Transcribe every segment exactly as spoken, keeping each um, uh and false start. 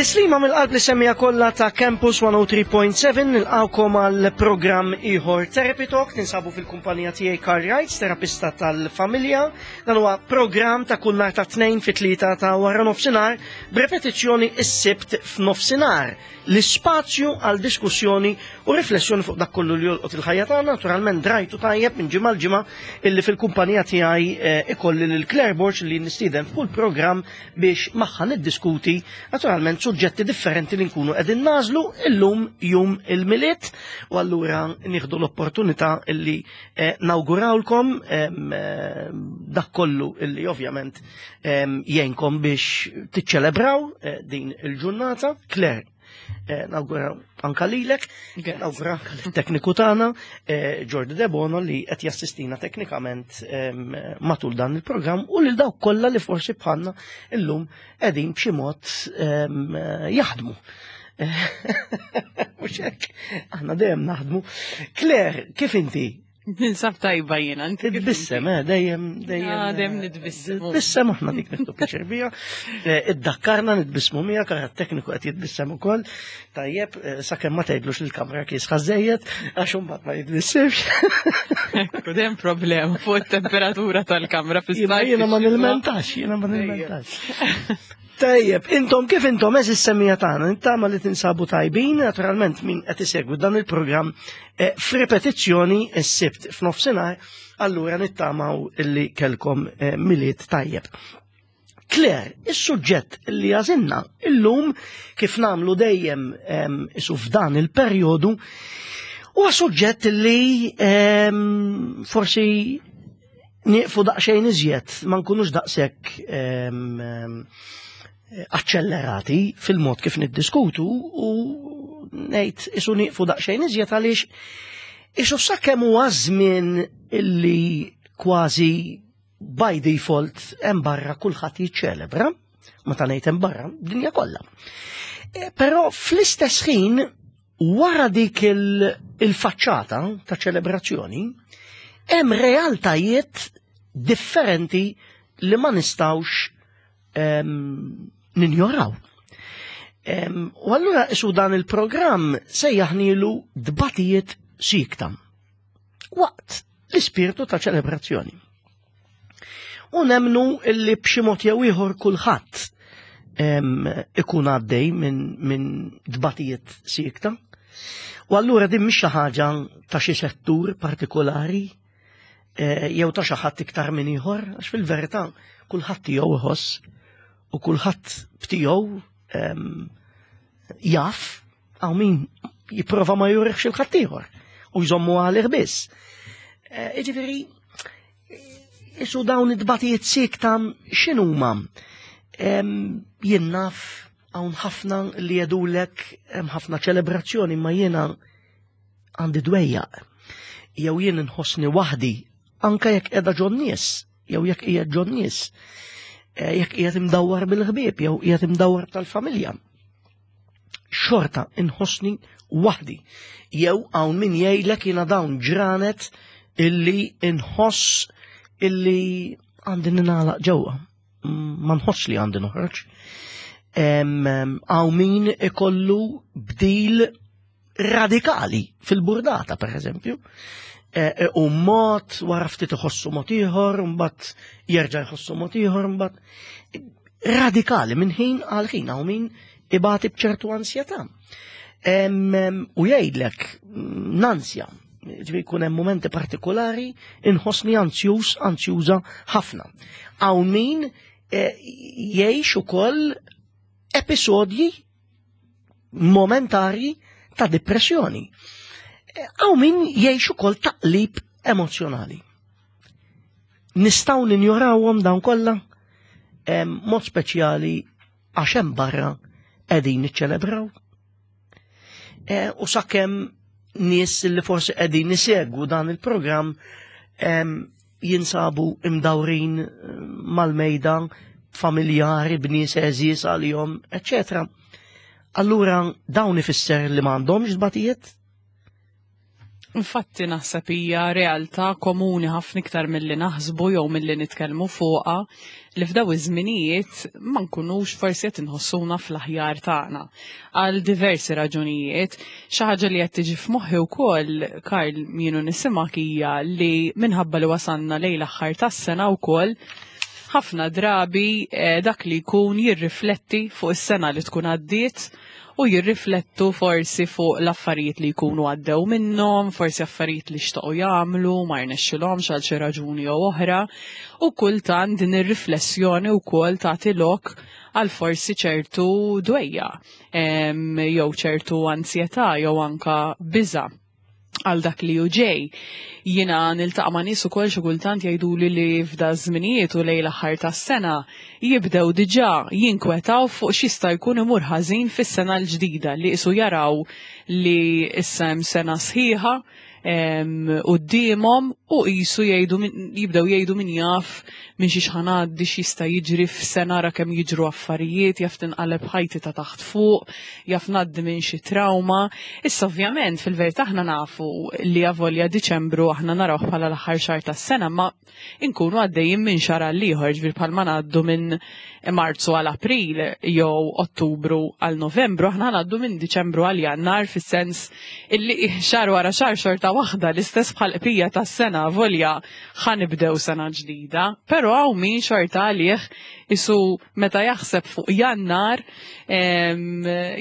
Tislima mill-qalb li semmija kollha ta' Campus mija u tlieta punt seba', nilqawkom għal programm ieħor Therapy Talk. Tinsabu fil-kumpanija tiegħi Carl Wrights, terapista tal-familja. Dan huwa programm ta' kull nhar ta' tnejn fit-tlieta ta' wara nofsinhar, b'repetizzjoni is-Sibt f'nofsinhar. L-ispazju għal diskussjoni u riflessjoni fuq dak kollu li jolqot il-ħajja tagħna. Naturalment drajtu tajjeb minn ġimgħa l-ġimgħa illi fil-kumpanija tiegħi eh, ikolli lil Claire Borg, li nistieden f'kull programm biex magħha niddiskuti naturalment suġġetti differenti li nkunu qegħdin nagħżlu. Illum jum il-Milied u allura nieħdu l-opportunità illi eh, nawgurawlkom em, eh, dak kollu illi ovvjament em, jgħinkom biex tiċċelebraw eh, din il-ġurnata. Claire, eh, nawguraw anka lilek, nawguraw anka lit-tekniku tagħna, eh, Jordi Debono, li qed jassistina teknikament em, matul dan il-programm, u lil dawk kollha li forsi bħalna illum qegħdin b'xi mod em, jaħdmu. Mhux hekk, aħna dejjem naħdmu. Claire, kif inti? Ninsab tajba jiena, inti kif Titbissem, eh, dejjem, dejjem. Ah, dejjem nitbissem. Titbissem, aħna dik nieħdu pjaċir bija. Eh, Iddakkarna nitbissmu miegħek, ara tekniku qed jitbissem ukoll. Tajjeb, eh, sakemm ma tgħidlux il-kamra kiesħa żejjed, għax imbagħad ma jitbissimx. Ekku, dejjem problema fuq it-temperatura tal-kamra Jiena fis-sajf. Jiena ma fix-xitwa. nilmentax, jiena ma nilmentax. Tajjeb, intom kif intom, eżis semmija tagħna, nittama li tinsabu tajbin, naturalment min qed isegwi dan il-programm eh, f'ripetizzjoni s-Sibt f'nofsinhar, allura nittamaw illi kelkom eh, Milied tajjeb. Claire, is-suġġett li għażilna illum, kif nagħmlu dejjem em, isu f'dan il-perjodu, huwa suġġett li em, forsi nieqfu daqsxejn iżjed, ma nkunux daqshekk em, em, aċċellerati fil-mod kif niddiskutu u ngħid isu nieqfu daqsxejn iżjed, għaliex isu sakemm huwa żmien illi kważi by default hemm barra kulħadd jiċċelebra, meta ngħid hemm barra, dinja kollha. E, Però fl-istess ħin, wara dik il- il-faċċata ta' ċelebrazzjoni hemm realtajiet differenti li ma nistawx em, ninjoraw. Em, U allura isu dan il-programm sejjaħnilu "Dbatijiet Siekta waqt l-ispirtu ta' ċelebrazzjoni". U nemnu illi b'xi mod jew ieħor kulħadd em, ikun għaddej minn min dbatijiet siekta. U allura din mhix xi ħaġa ta' xi settur partikolari eh, jew ta' xi ħadd iktar minn ieħor, għax fil-verità kulħadd tiegħu iħoss u kulħadd b'tiegħu em, jaf, hawn min jipprova ma jurihx lil ħaddieħor u jżommu għalih biss. Eh, Jiġifieri, isu dawn id-dbatijiet siekta x'inhuma? Em, Jien naf hawn ħafna li jgħidulek hemm ħafna ċelebrazzjoni ma jiena għandi dwejjaq. Jew jien nħossni waħdi anka jekk qiegħda ġon-nies, jew jekk qiegħed ġon-nies. Eh, Jekk qiegħed imdawwar bil-ħbieb jew qiegħed imdawwar tal-familja. Xorta inħossni waħdi. Jew hawn min jgħidlek jiena dawn ġranet illi inħoss illi għandi ninagħlaq ġewwa. Mm, Ma nħoss li għandi noħroġ. Em, em, Hawn min ikollu bdil radikali fil-burdata, per eżempju. E, e, U mod, wara ftit iħossu mod ieħor, mbagħad jerġa' jħossu mod ieħor, mbagħad radikali minn ħin għal ħin. Hawn min ibati b'ċertu ansjetà. Em, em, U jgħidlek mm, nansja, ġifieri jkun hemm momenti partikolari inħossni ansjuż, ansjuża ħafna. Hawn min eh, jgħix ukoll episodji momentarji ta' depressjoni. Eh, Hawn min jgħix ukoll taqlib emozjonali. Nistgħu ninjorawhom dawn kollha? Em, Mod speċjali għax hemm barra qegħdin niċċelebraw. E, U sakemm nies li forsi qegħdin isegwu dan il-programm em, jinsabu imdawrin eh, mal-mejda familjari b'nies għeżież għalihom, eċċetera. Allura dawn ifisser li m'għandhomx dbatijiet? Infatti naħseb hija realtà komuni ħafna iktar milli naħsbu jew milli nitkellmu fuqha, li f'daw iż-żminijiet ma nkunux forsi qed inħossuna fl-aħjar tagħna għal diversi raġunijiet. Xi ħaġa li qed tiġi f'moħħi wkoll, Karl, jienu nisimgħek, hija li minħabba li wasanna lejn l-aħħar tas-sena wkoll, ħafna drabi eh, dak li jkun jirrifletti fuq is-sena li tkun għaddiet u jirriflettu forsi fuq l-affarijiet li jkunu għaddew minnhom, forsi affarijiet li xtaqu jagħmlu, ma rnexxilhomx għal xi raġuni jew oħra, u kultant din ir-riflessjoni wkoll tagħti lok għal forsi ċertu dwejjaq, jew ċertu ansjetà jew anka biża' għal dak li hu ġej. Jiena niltaqa' ma' nies ukoll xi kultant jgħiduli li f'da żminijiet u lejn l-aħħar tas-sena jibdew diġà jinkwetaw fuq x'jista' jkun imur ħażin fis-sena l-ġdida, li qisu jaraw li issa hemm sena sħiħa quddiemhom u qisu jgħidu, jibdew jgħidu min jaf minn xiex ħa ngħaddi, x'jista' jiġri f'sena, ra kemm jiġru affarijiet, jaf tinqaleb ħajti ta' taħt fuq, jaf ngħaddi minn xi trauma. Issa ovvjament fil-verità aħna nafu li avolja Diċembru aħna naraw bħala l-aħħar xahar tas-sena, ma inkunu għaddejjin minn xahar għal ieħor, ġifieri bħalma ngħaddu minn Marzu għal April jew Ottubru għal Novembru, aħna ngħaddu minn Diċembru għal Jannar, fis-sens illi xahar wara xahar xorta waħda l-istess bħal bqija tas-sena, volja ħa nibdew sena ġdida, però hawn min xorta għalih isu meta jaħseb fuq Jannar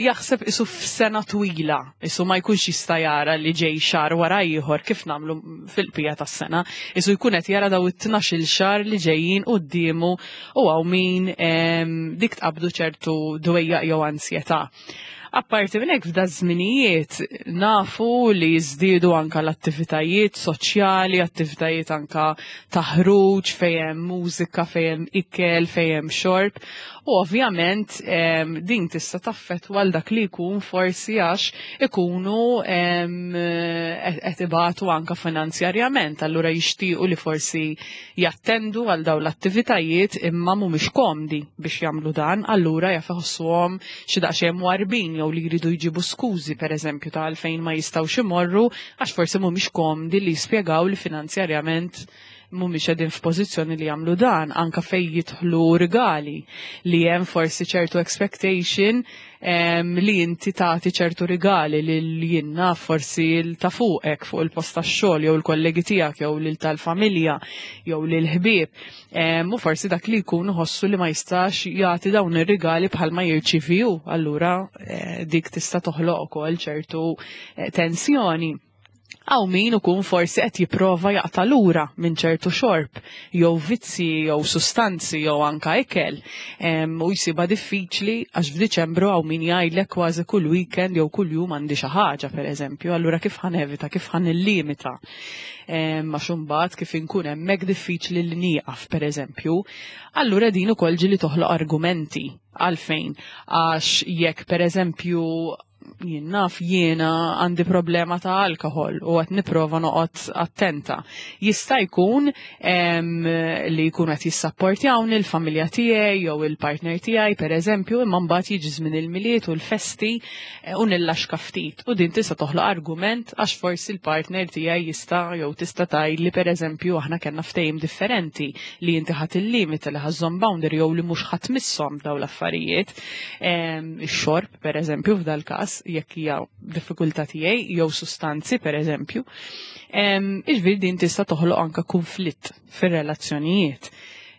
jaħseb isu f'sena twila, isu ma jkunx jista' jara li ġej xahar wara ieħor kif nagħmlu fil-bqija tas-sena, isu jkun qed jara daw it-tnax-il xahar li ġejjin quddiemu u hawn min dik tqabdu ċertu dwejjaq jew ansjetà. Apparti minn hekk, f'da żminijiet nafu li jiżdiedu anka l-attivitajiet soċjali, attivitajiet anka ta' ħruġ fejn hemm mużika, fejn hemm ikel, fejn hemm xorb. U ovvjament din tista' taffettwa għal dak li jkun forsi għax ikunu qed ibatu anka finanzjarjament, allura jixtiequ li forsi jattendu għal dawn l-attivitajiet imma mhumiex komdi biex jagħmlu dan, allura jaf iħossuhom xi daqsxejn mwarbin jew li jridu jġibu skużi, pereżempju, ta' għalfejn ma jistgħux imorru, għax forsi mhumiex komdi li jispjegaw li finanzjarjament mhumiex qegħdin f'pożizzjoni li jagħmlu dan, anka fejn jidħlu rigali, li hemm forsi ċertu expectation em, li inti tagħti ċertu rigali lil jiena forsi l ta' fuqek fuq il-post tax-xogħol jew il-kollegi tiegħek jew lil tal-familja jew lil ħbieb. U forsi dak li jkun iħossu li ma jistax jagħti dawn ir-rigali bħalma jirċievi hu, allura eh, dik tista' toħloq ukoll ċertu eh, tensjoni. Hawn min ukun forsi qed jipprova jaqta' lura minn ċertu xorb, jew vizzi, jew sustanzi, jew anka ikel. U jsibha diffiċli għax f'Diċembru hawn min jgħidlek kważi kull weekend jew kull jum għandi xi ħaġa, pereżempju, allura kif ħa nevita, kif ħa nillimita? Għax imbagħad kif inkun hemmhekk diffiċli li nieqaf, pereżempju. Allura din ukoll ġieli toħloq argumenti. Għalfejn? Għax jekk, pereżempju, jien naf jiena għandi problema ta' alkohol u qed nipprova noqgħod attenta. Jista' jkun li jkun qed jissapportjawni l-familja tiegħi jew il-partner tiegħi, pereżempju, imma mbagħad jiġi żmien il-Milied u l-festi eh, u nillaxka ftit. U din tista' toħloq argument għax forsi l-partner tiegħi jista' jew tista' tgħid li, pereżempju, aħna kellna ftehim differenti li inti ħadd il-limit, li ħa żżomm boundary jew li mhux ħa tmisshom daw l-affarijiet. Ix-xorb, pereżempju, f'dal-każ, jekk hija diffikultà tiegħi, jew sustanzi, pereżempju. Iġifieri din tista' toħloq anka konflitt fir-relazzjonijiet.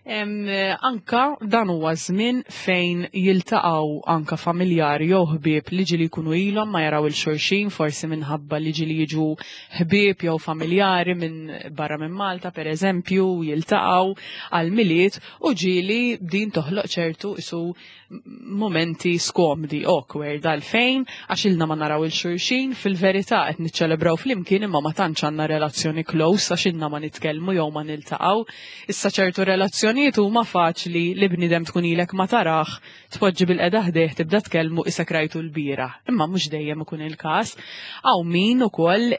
Anka dan huwa żmien fejn jiltaqgħu anka familjari jew ħbieb li ġieli jkunu ilhom ma jaraw lil xulxin, forsi minħabba li ġieli jiġu ħbieb jew familjari minn barra minn Malta, pereżempju, jiltaqgħu għal Milied u ġieli din toħloq ċertu isu momenti skomdi, awkward, għalfejn? Għax ilna ma naraw lil xulxin, fil-verità qed niċċelebraw flimkien imma ma tantx għandna relazzjoni close għax ilna ma nitkellmu jew ma niltaqgħu. Issa ċertu relazzjonijiet Id-diskussjonijiet huma faċli li bniedem tkun ilek ma tarax, tpoġġi bilqiegħda ħdejh, tibda tkellmu qisek rajtu l-bieraħ. Imma mhux dejjem ikun il-każ. Hawn min ukoll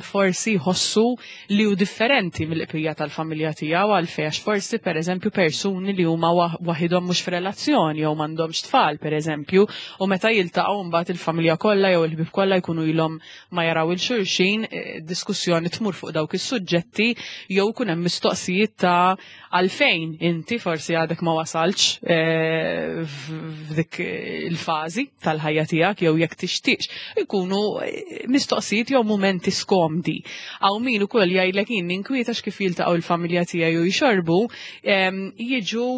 forsi jħossu li hu differenti mill-qpija tal-familja tiegħu, għalfejn? Għax forsi, pereżempju, persuni li huma waħidhom, mhux f'relazzjoni jew m'għandhomx tfal, pereżempju, u meta jiltaqgħu mbagħad il-familja kollha jew il-ħbieb kollha jkunu ilhom ma jaraw lil xulxin, eh, diskussjoni tmur fuq dawk is-suġġetti jew kun hemm mistoqsijiet ta' għalfejn inti forsi għadek ma wasalx eh, f'dik il-fażi tal-ħajja tiegħek jew jekk tixtieqx. Ikunu eh, mistoqsijiet jew mumenti skomdi. Hawn min ukoll jgħidlek, jien ninkwieta kif jiltaqgħu il-familja tiegħi u jxorbu, jiġu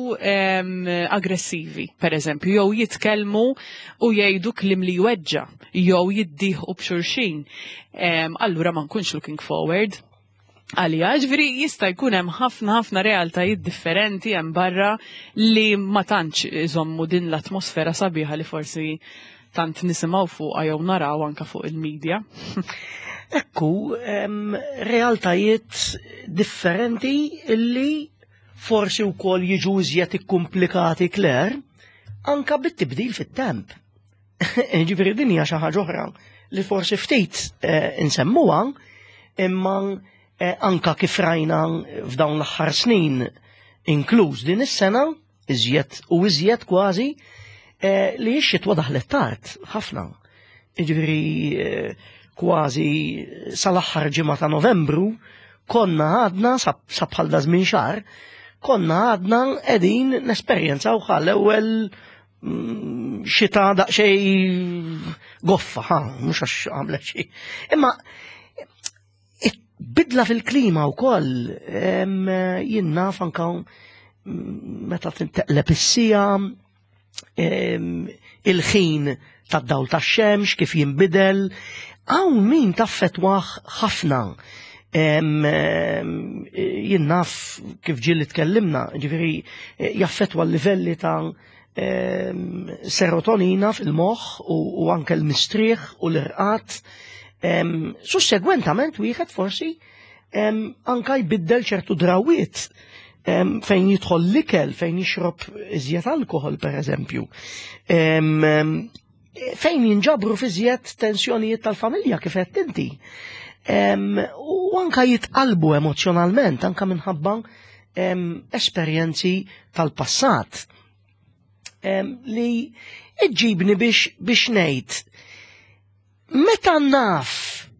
aggressivi, per eżempju, jew jitkellmu u jgħidu kliem li jweġġa' jew jiddieħqu b'xulxin. Allura ma nkunx looking forward għalija. Ġifieri jista' jkun hemm ħafna ħafna realtajiet differenti hemm barra li ma tantx iżommu din l-atmosfera sabiħa li forsi tant nisimgħu fuqha jew naraw anka fuq il-medja. Ekku, realtajiet differenti illi forsi wkoll jiġu iżjed ikkumplikati, Claire, anka bit-tibdil fit-temp. Ġifieri din hija xi ħaġa oħra li forsi ftit eh, insemmuha, imma eh, anka kif rajna f'dawn l-aħħar snin, inkluż din is-sena, iżjed u iżjed kważi, eh, li x-xitwa daħlet tard ħafna. Ġifieri kważi sal-aħħar ġimgħa ta' Novembru konna għadna, sa bħal da żmien xahar, konna għadna qegħdin nesperjenzaw l-ewwel mm, xita daqsxejn goffa, ha, mhux għax għamlet xi. Imma bidla fil-klima wkoll, jien naf anka meta tinteqleb is-sija, il-ħin tad-dawl tax-xemx kif jinbidel, hawn min taffettwah ħafna. Jien naf kif ġieli tkellimna, ġifieri jaffettwa l-livelli ta' serotonina fil-moħħ u anke l-mistrieħ u l-irqad. Sussegwentament wieħed forsi anka jbiddel ċertu drawiet fejn jidħol l-ikel, fejn jixrob iżjed alkohol, per eżempju. Fejn jinġabru f'iżjed tensjonijiet tal-familja, kif qed inti. U anka jitqalbu emozjonalment, anka minħabba esperjenzi tal-passat. Li iġibni biex biex ngħid, meta naf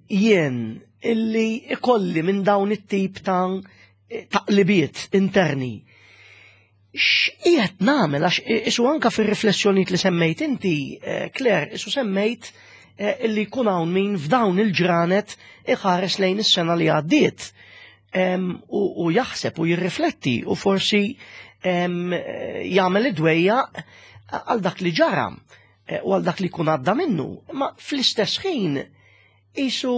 jien illi ikolli minn dawn it-tip ta' taqlibiet interni, x'qiegħed nagħmel? Għax isu anka fir-riflessjonijiet li semmejt inti, eh, Claire, isu semmejt eh, illi jkun hawn min f'dawn il-ġranet iħares lejn is-sena li għaddiet u jaħseb u jirrifletti u forsi jagħmel id-dwejja għal dak li ġara eh, u għal dak li jkun għadda minnu. Ma fl-istess ħin isu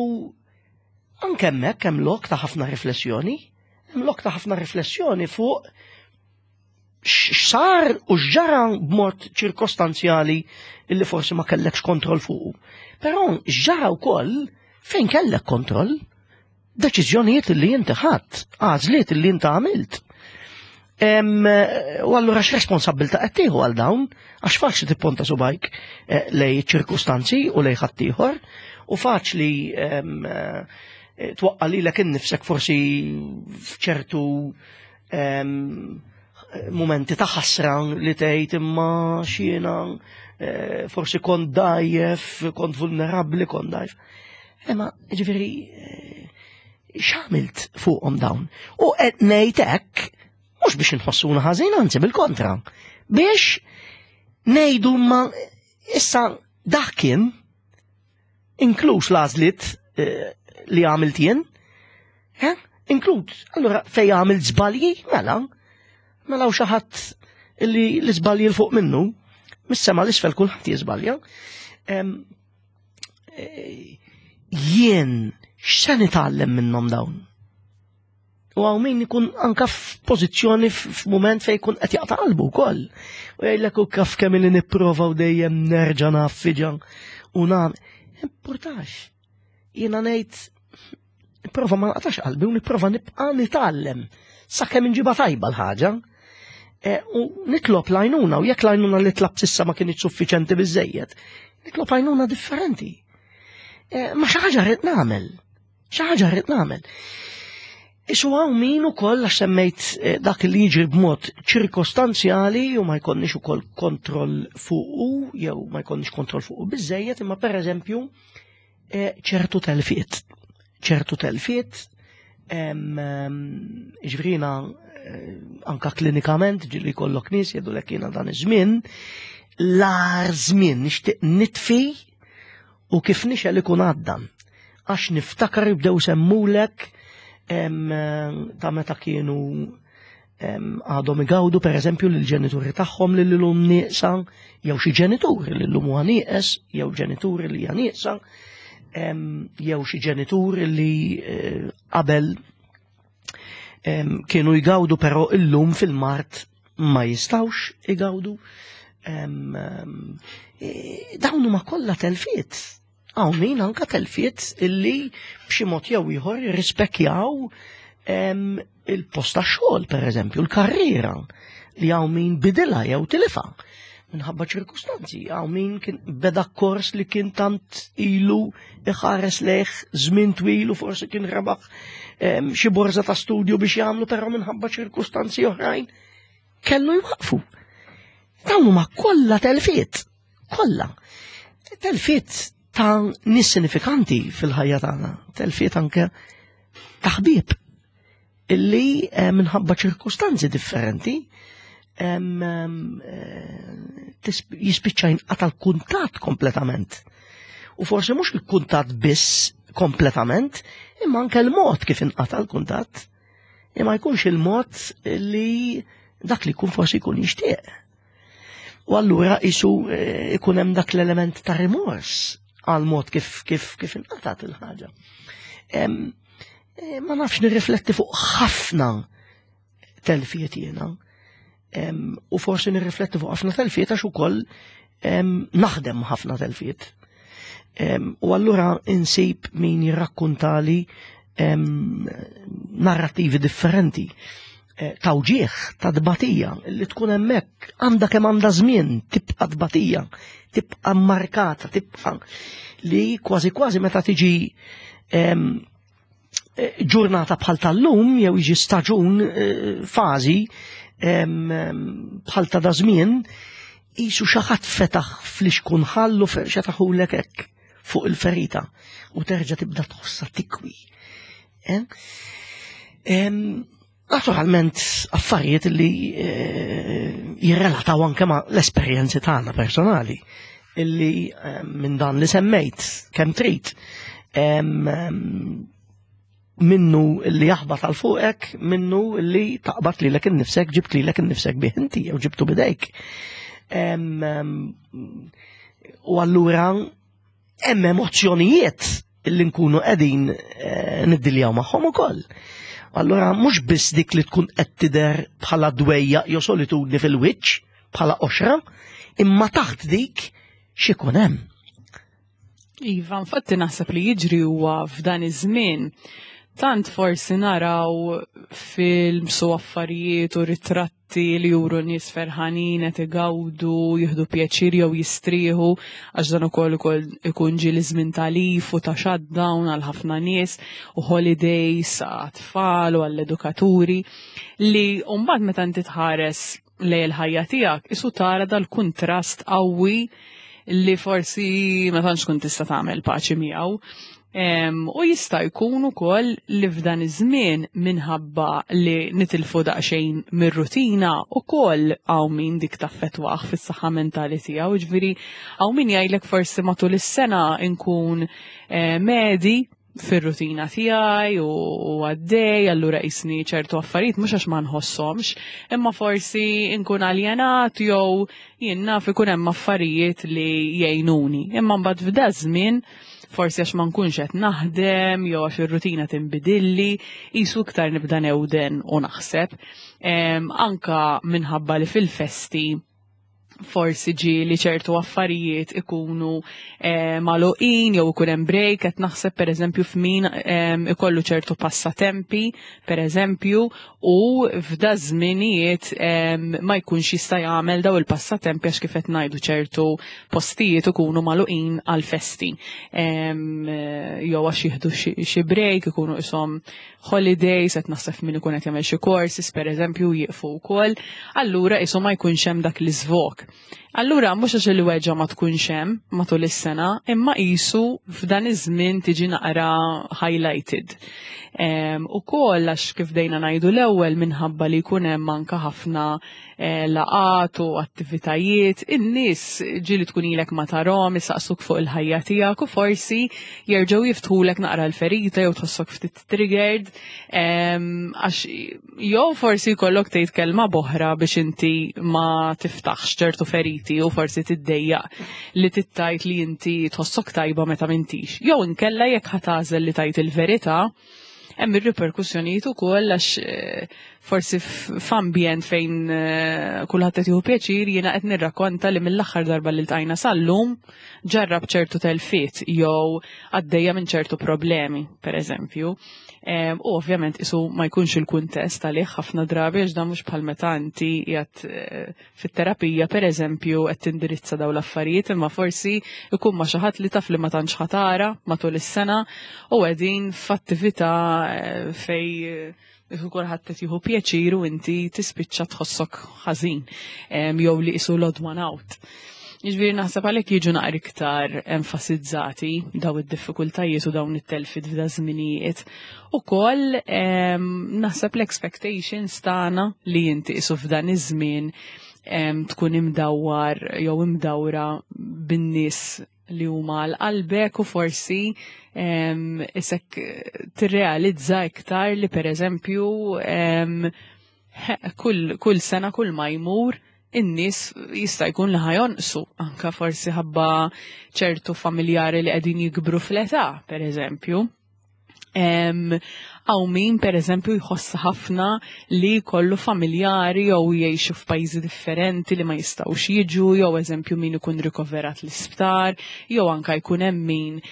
anke hemmhekk hemm lok ta' ħafna riflessjoni, hemm lok ta' ħafna riflessjoni fuq x'sar u x'ġara b'mod ċirkostanzjali illi forsi ma kellekx kontroll fuqu. Però x'ġara wkoll fejn kellek kontroll, deċiżjonijiet li inti ħadd, għażliet li inti għamilt. U allura x'responsabbiltà qed tieħu għal dawn? Għax faċli tipponta subgħajk eh, lejn ċirkustanzi u lejn ħaddieħor u faċli eh, twaqqa lilek innifsek forsi f'ċertu momenti ta' ħasra li tgħid imma x'jiena eh, forsi kont dgħajjef, kont vulnerabbli, kont dgħajjef. Imma ġifieri x'għamilt fuqhom dawn? U qed ngħid hekk mhux biex inħossuna ħażin, anzi bil-kontra. Biex ngħidu ma issa dak kien, inkluż l-għażliet eh, li għamilt jien, eh? Inkluż, allura fej għamilt żbalji, mela, mela u xi ħadd li l-iżbalji 'l fuq minnu, mis-sema 'l isfel kulħadd jiżbalja. Eh, jien x'se nitgħallem minnhom dawn? U hawn min ikun anka f'pożizzjoni, f'mument fejn jkun qed jaqta' qalbu wkoll. U jgħidlek, u kaf kemm li nipprova u dejjem nerġa' naffiġa u nagħmel. Importax. Jiena ngħid nipprova ma naqtax qalbi u nipprova nibqa' nitgħallem sakemm inġiba tajba l-ħaġa. Eh, u nitlob l-għajnuna, u jekk l-għajnuna li tlabt s'issa ma kinitx suffiċenti biżejjed, nitlob għajnuna differenti. Eh, ma xi ħaġa rrid nagħmel. Xi ħaġa rrid nagħmel. Isu hawn min ukoll għax semmejt eh, dak li jiġri b'mod ċirkostanzjali u ma jkollniex ukoll kontroll fuqu, jew ma jkollniex kontroll fuqu biżejjed, imma pereżempju ċertu telfiet. ċertu telfiet, ġifieri anka klinikament ġieli jkollok nies jgħidulek jiena dan iż-żmien, l-agħar żmien nixtieq nitfi u kif nixgħel ikun għadda. Għax niftakar jibdew semmulek ta' meta kienu għadhom igawdu per eżempju lill-ġenituri tagħhom li llum nieqsa, jew xi ġenituri li llum huwa nieqes, jew ġenituri li hija nieqsa, jew xi ġenituri li eh, qabel kienu jgawdu però illum fil-mard ma jistawx igawdu. E, dawn huma kollha telfiet. Hawn min anka telfiet illi b'xi mod jew ieħor jirrispekjaw il-post tax-xogħol pereżempju, l-karriera li hawn min bidilha jew tilifha minħabba ċirkustanzi, hawn min kien beda kors li kien tant ilu iħares lejh żmien twil u forsi kien rebaħ xi borza ta' studju biex jagħmlu però minħabba ċirkustanzi oħrajn kellu jwaqfu. Dawn huma kollha telfiet, kollha. Telfiet ta' nies sinifikanti fil-ħajja tagħna, telfiet anke ta' ħbieb illi eh, minħabba ċirkustanzi differenti eh, jispiċċa jinqata' l-kuntatt kompletament. U forsi mhux il-kuntatt biss kompletament, imma anke l-mod kif inqata' l-kuntatt. Imma jkunx il-mod li dak li jkun forsi jkun jixtieq. U allura isu eh, ikun hemm dak l-element ta' rimors għal mod kif kif kif inqatat il-ħaġa. Eh, ma nafx nirrifletti fuq ħafna telfiet jiena. U forsi nirrifletti fuq ħafna telfiet għax ukoll naħdem ħafna telfiet. U allura insib min jirrakkuntali narrativi differenti eh, ta' uġieħ, ta' dbatija, li tkun hemmhekk għandha kemm għandha żmien tibqa' dbatija, tibqa' markata, tibqa' li kważi kważi meta tiġi eh, ġurnata bħal tal-lum jew jiġi staġun eh, fażi bħal ta' da żmien qisu xi ħadd fetaħ flixkun ħallu xetaħulek hekk fuq il-ferita u terġa' tibda tħossha tikwi. Eh? Naturalment affarijiet li eh, jirrelataw anke ma' l-esperjenzi tagħna personali illi minn dan li semmejt kemm trid minnu li jaħbat għal fuqek, minnu li taqbad lilek innifsek, ġibt lilek innifsek bih inti, jew ġibtu bidejk. U allura hemm emozzjonijiet li nkunu qegħdin eh, niddiljaw magħhom ukoll. Allura mhux biss dik li tkun qed tidher bħala dwejja jew solitudni fil-wiċċ, bħala qoxra, imma taħt dik x'ikun hemm. Iva, infatti naħseb li jiġri huwa f'dan iż-żmien tant forsi naraw films u affarijiet u ritratti li juru nies ferħanin qed igawdu, jieħdu pjaċir jew jistrieħu għax dan ukoll ukoll ikun ġieli żmien ta' leave u ta' shutdown għal ħafna nies u holidays għat-tfal u għall-edukaturi li mbagħad meta inti tħares lejn il-ħajja tiegħek isu tara dal-kuntrast qawwi li forsi ma tantx tkun tista' tagħmel paċi miegħu. U jista' jkun ukoll li f'dan iż-żmien minħabba li nitilfu daqsxejn mir-rutina ukoll hawn min dik taffettwah fis-saħħa mentali tiegħu, ġifieri hawn min jgħidlek forsi matul is-sena nkun eh, medji fir-rutina tiegħi u għaddej, allura qisni ċertu affarijiet mhux għax ma nħossomx, imma forsi nkun aljenat jew jien naf ikun hemm affarijiet li jgħinuni. Imma mbagħad f'da żmien forsi għax ma nkunx qed naħdem jew għax ir-rutina tinbidilli, qisu iktar nibda newden u naħseb. Anka minħabba li fil-festi Forsi ġieli ċertu affarijiet ikunu eh, magħluqin jew ikun hemm break, qed naħseb pereżempju f'min eh, ikollu ċertu passatempi, pereżempju, u f'da żminijiet eh, ma jkunx jista' jagħmel daw il-passatempi għax kif qed ngħidu ċertu postijiet ikunu magħluqin għal festi. Jew għax jieħdu xi break, ikunu ishom holidays, qed naħseb min ikun qed jagħmel xi courses pereżempju jieqfu wkoll, allura isu ma jkunx hemm dak l-iżvog. Allura mhux għax il-weġgħa ma tkunx hemm matul is-sena, imma qisu f'dan iż-żmien tiġi naqra highlighted. Ukoll għax kif dejna ngħidu l-ewwel minħabba li jkun hemm anke ħafna eh, laqat u attivitajiet, in-nies ġieli tkun ilek ma tarahom, isaqsuk fuq il-ħajja tiegħek u forsi jerġgħu jiftħulek naqra l-ferita jew tħossok ftit triggered, għax jew forsi jkollok tgħid kelma b'oħra biex inti ma tiftaħx ċertu feriti u forsi tiddejjaq li tittajt li inti tħossok tajba meta m'intix. Jew inkella jekk ħa tagħżel li tgħid il-verità, hemm ir-riperkussjonijiet ukoll għax eh, forsi f'ambjent fejn eh, kulħadd qed jieħu pjaċir jiena qed nirrakkonta li mill-aħħar darba li ltqajna sal-lum ġarrab ċertu telfiet jew għaddejja minn ċertu problemi, pereżempju. U ovvjament isu ma jkunx il-kuntest għalih ħafna drabi għax dan mhux bħal meta inti qiegħed eh, fit-terapija pereżempju qed tindirizza dawn l-affarijiet imma forsi ikun ma' xi ħadd li taf li ma tantx ħa tara matul is-sena u qegħdin f'attività eh, fej kulħadd qed jieħu pjaċir u inti tispiċċa tħossok ħażin jew li qisu l-odd one out. Jiġifieri naħseb għalhekk jiġu naqra iktar enfasizzati daw id-diffikultajiet u dawn it-telfiet f'da żminijiet. Ukoll naħseb l-expectations tagħna li inti qisu f'dan iż-żmien tkun imdawwar jew imdawra bin-nies li huma għal qalbek u forsi isek tirrealizza iktar li pereżempju kull, kull sena kull ma jmur in-nies jista' jkun li ħa jonqsu anka forsi ħabba ċertu familjari li qegħdin jikbru fl-età, pereżempju. Hawn min per eżempju jħoss ħafna li kollu familjari jew jgħixu f'pajjiżi differenti li ma jistgħux jiġu, jew eżempju min ikun rikoverat l-isptar, jew anka jkun hemm min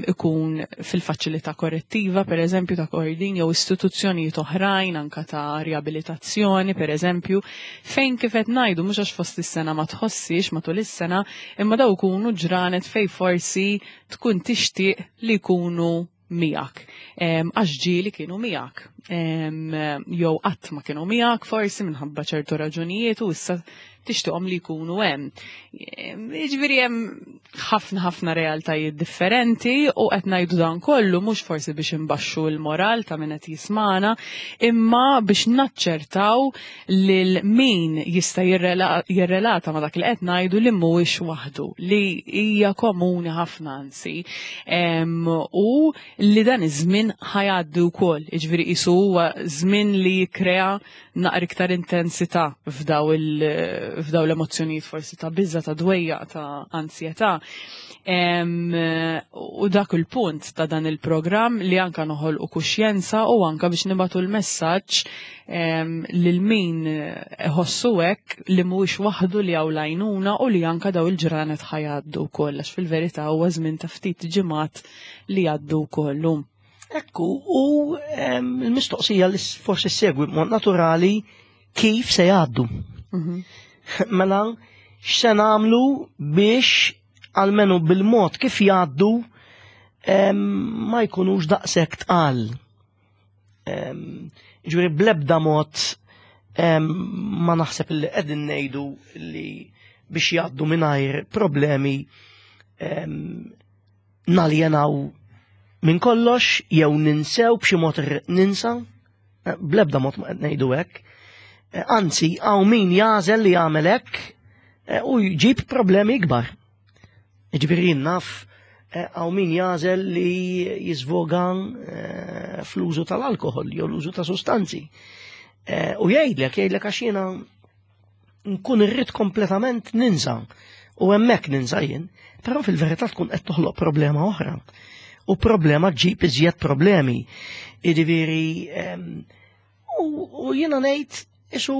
ikun fil-faċilità korrettiva, per eżempju ta' Kordin, jew istituzzjonijiet oħrajn anka ta' riabilitazzjoni, per eżempju, fejn kif qed ngħidu mhux għax fost is-sena ma tħossix matul is-sena, imma daw ikunu ġranet fej forsi tkun tixtieq li jkunu miegħek. Għax ġieli kienu miegħek. Jew qatt ma kienu miegħek forsi minħabba ċertu raġunijiet u issa tixtieqhom li jkunu hemm. Jiġifieri hemm ħafna ħafna realtajiet differenti u qed ngħidu dan kollu mhux forsi biex imbaxxu l-moral ta' min qed jismana, imma biex naċċertaw lil min jista' jirrelata ma' dak li qed ngħidu li mhuwiex waħdu, li hija komuni ħafna anzi. U li dan iż-żmien ħa jgħaddi wkoll, jiġifieri qisu huwa żmien li jikkrea naqra iktar intensità f'daw il- f'daw l-emozzjonijiet forsi ta' biża, ta' dwejjaq, ta' ansjetà. U dak il-punt ta' dan il-programm li anka noħolqu kuxjenza u anka biex nibatu l-messaġġ lil min iħossu hekk li mhuwiex waħdu li hawn lajnuna u li anka daw il-ġranet ħa jgħaddu wkoll għax fil-verità huwa żmien ta' ftit ġimgħat li jgħaddu wkoll. Ekku, u l-mistoqsija li forsi segwi b'mod naturali kif se jgħaddu. Mhm. Mela, x'se nagħmlu biex almenu bil-mod kif jgħaddu ma jkunux daqshekk tqal. Ġifieri bl-ebda mod ma naħseb li qegħdin ngħidu li biex jgħaddu mingħajr problemi naljenaw minn kollox jew ninsew b'xi mod ninsa, bl-ebda mod ma qed ngħidu hekk. Anzi, hawn min jagħżel li jagħmel hekk u jġib problemi ikbar. Ġifieri naf hawn min jagħżel li jiżvoga fl-użu tal-alkohol jew l-użu ta' sustanzi. U jgħidlek, jgħidlek għax jiena nkun irrid kompletament ninsa u hemmhekk ninsa jien, però fil-verità tkun qed toħloq problema oħra. U problema ġib iżjed problemi. Jiġifieri, u jiena ngħid isu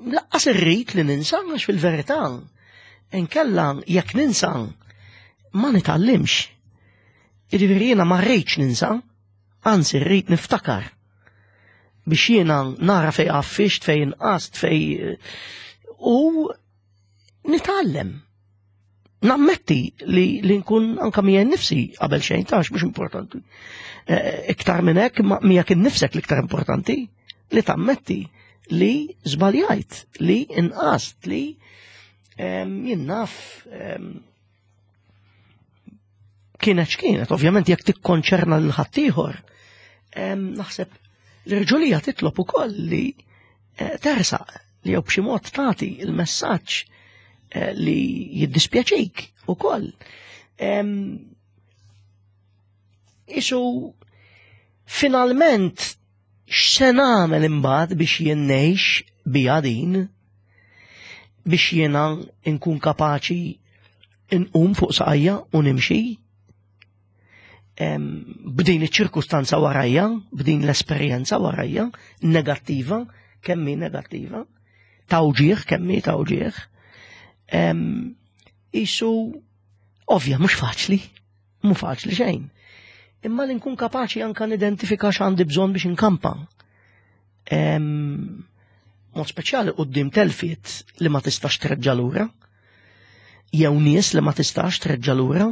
Lanqas irrid li ninsa, għax fil-verità inkella jekk ninsa ma nitgħallimx. Jiġifieri jiena ma rridx ninsa, anzi rrid niftakar biex jiena nara fej għaffiġt, fej inqast, fej u nitgħallem. Nammetti li, li nkun anka miegħi nnifsi qabel xejn tax mhux importanti. Eh, iktar minn hekk miegħek innifsek l-iktar importanti li tammetti li żbaljajt, li inqast, li jien naf kienet x'kienet, ovvjament jekk tikkonċerna lil ħaddieħor, naħseb l-irġulija titlob ukoll li eh, tersaq li jew b'xi mod tagħti il-messaġġ eh, li jiddispjaċik ukoll. Isu finalment x'se nagħmel imbagħad biex jien ngħix biha din, biex jiena nkun kapaċi nqum fuq saqajja u nimxi b'din iċ-ċirkustanza warajja, b'din l-esperjenza warajja, negattiva, kemm hi negattiva, tawġieħ, kemm hi tawġieħ. Isu, ovvja, mhux faċli, mhux faċli xejn. Imma li nkun kapaċi anka nidentifika x'għandi bżonn biex inkampa. Mod speċjali quddiem telfiet li ma tistax treġġa' lura, jew nies li ma tistax treġġa' lura.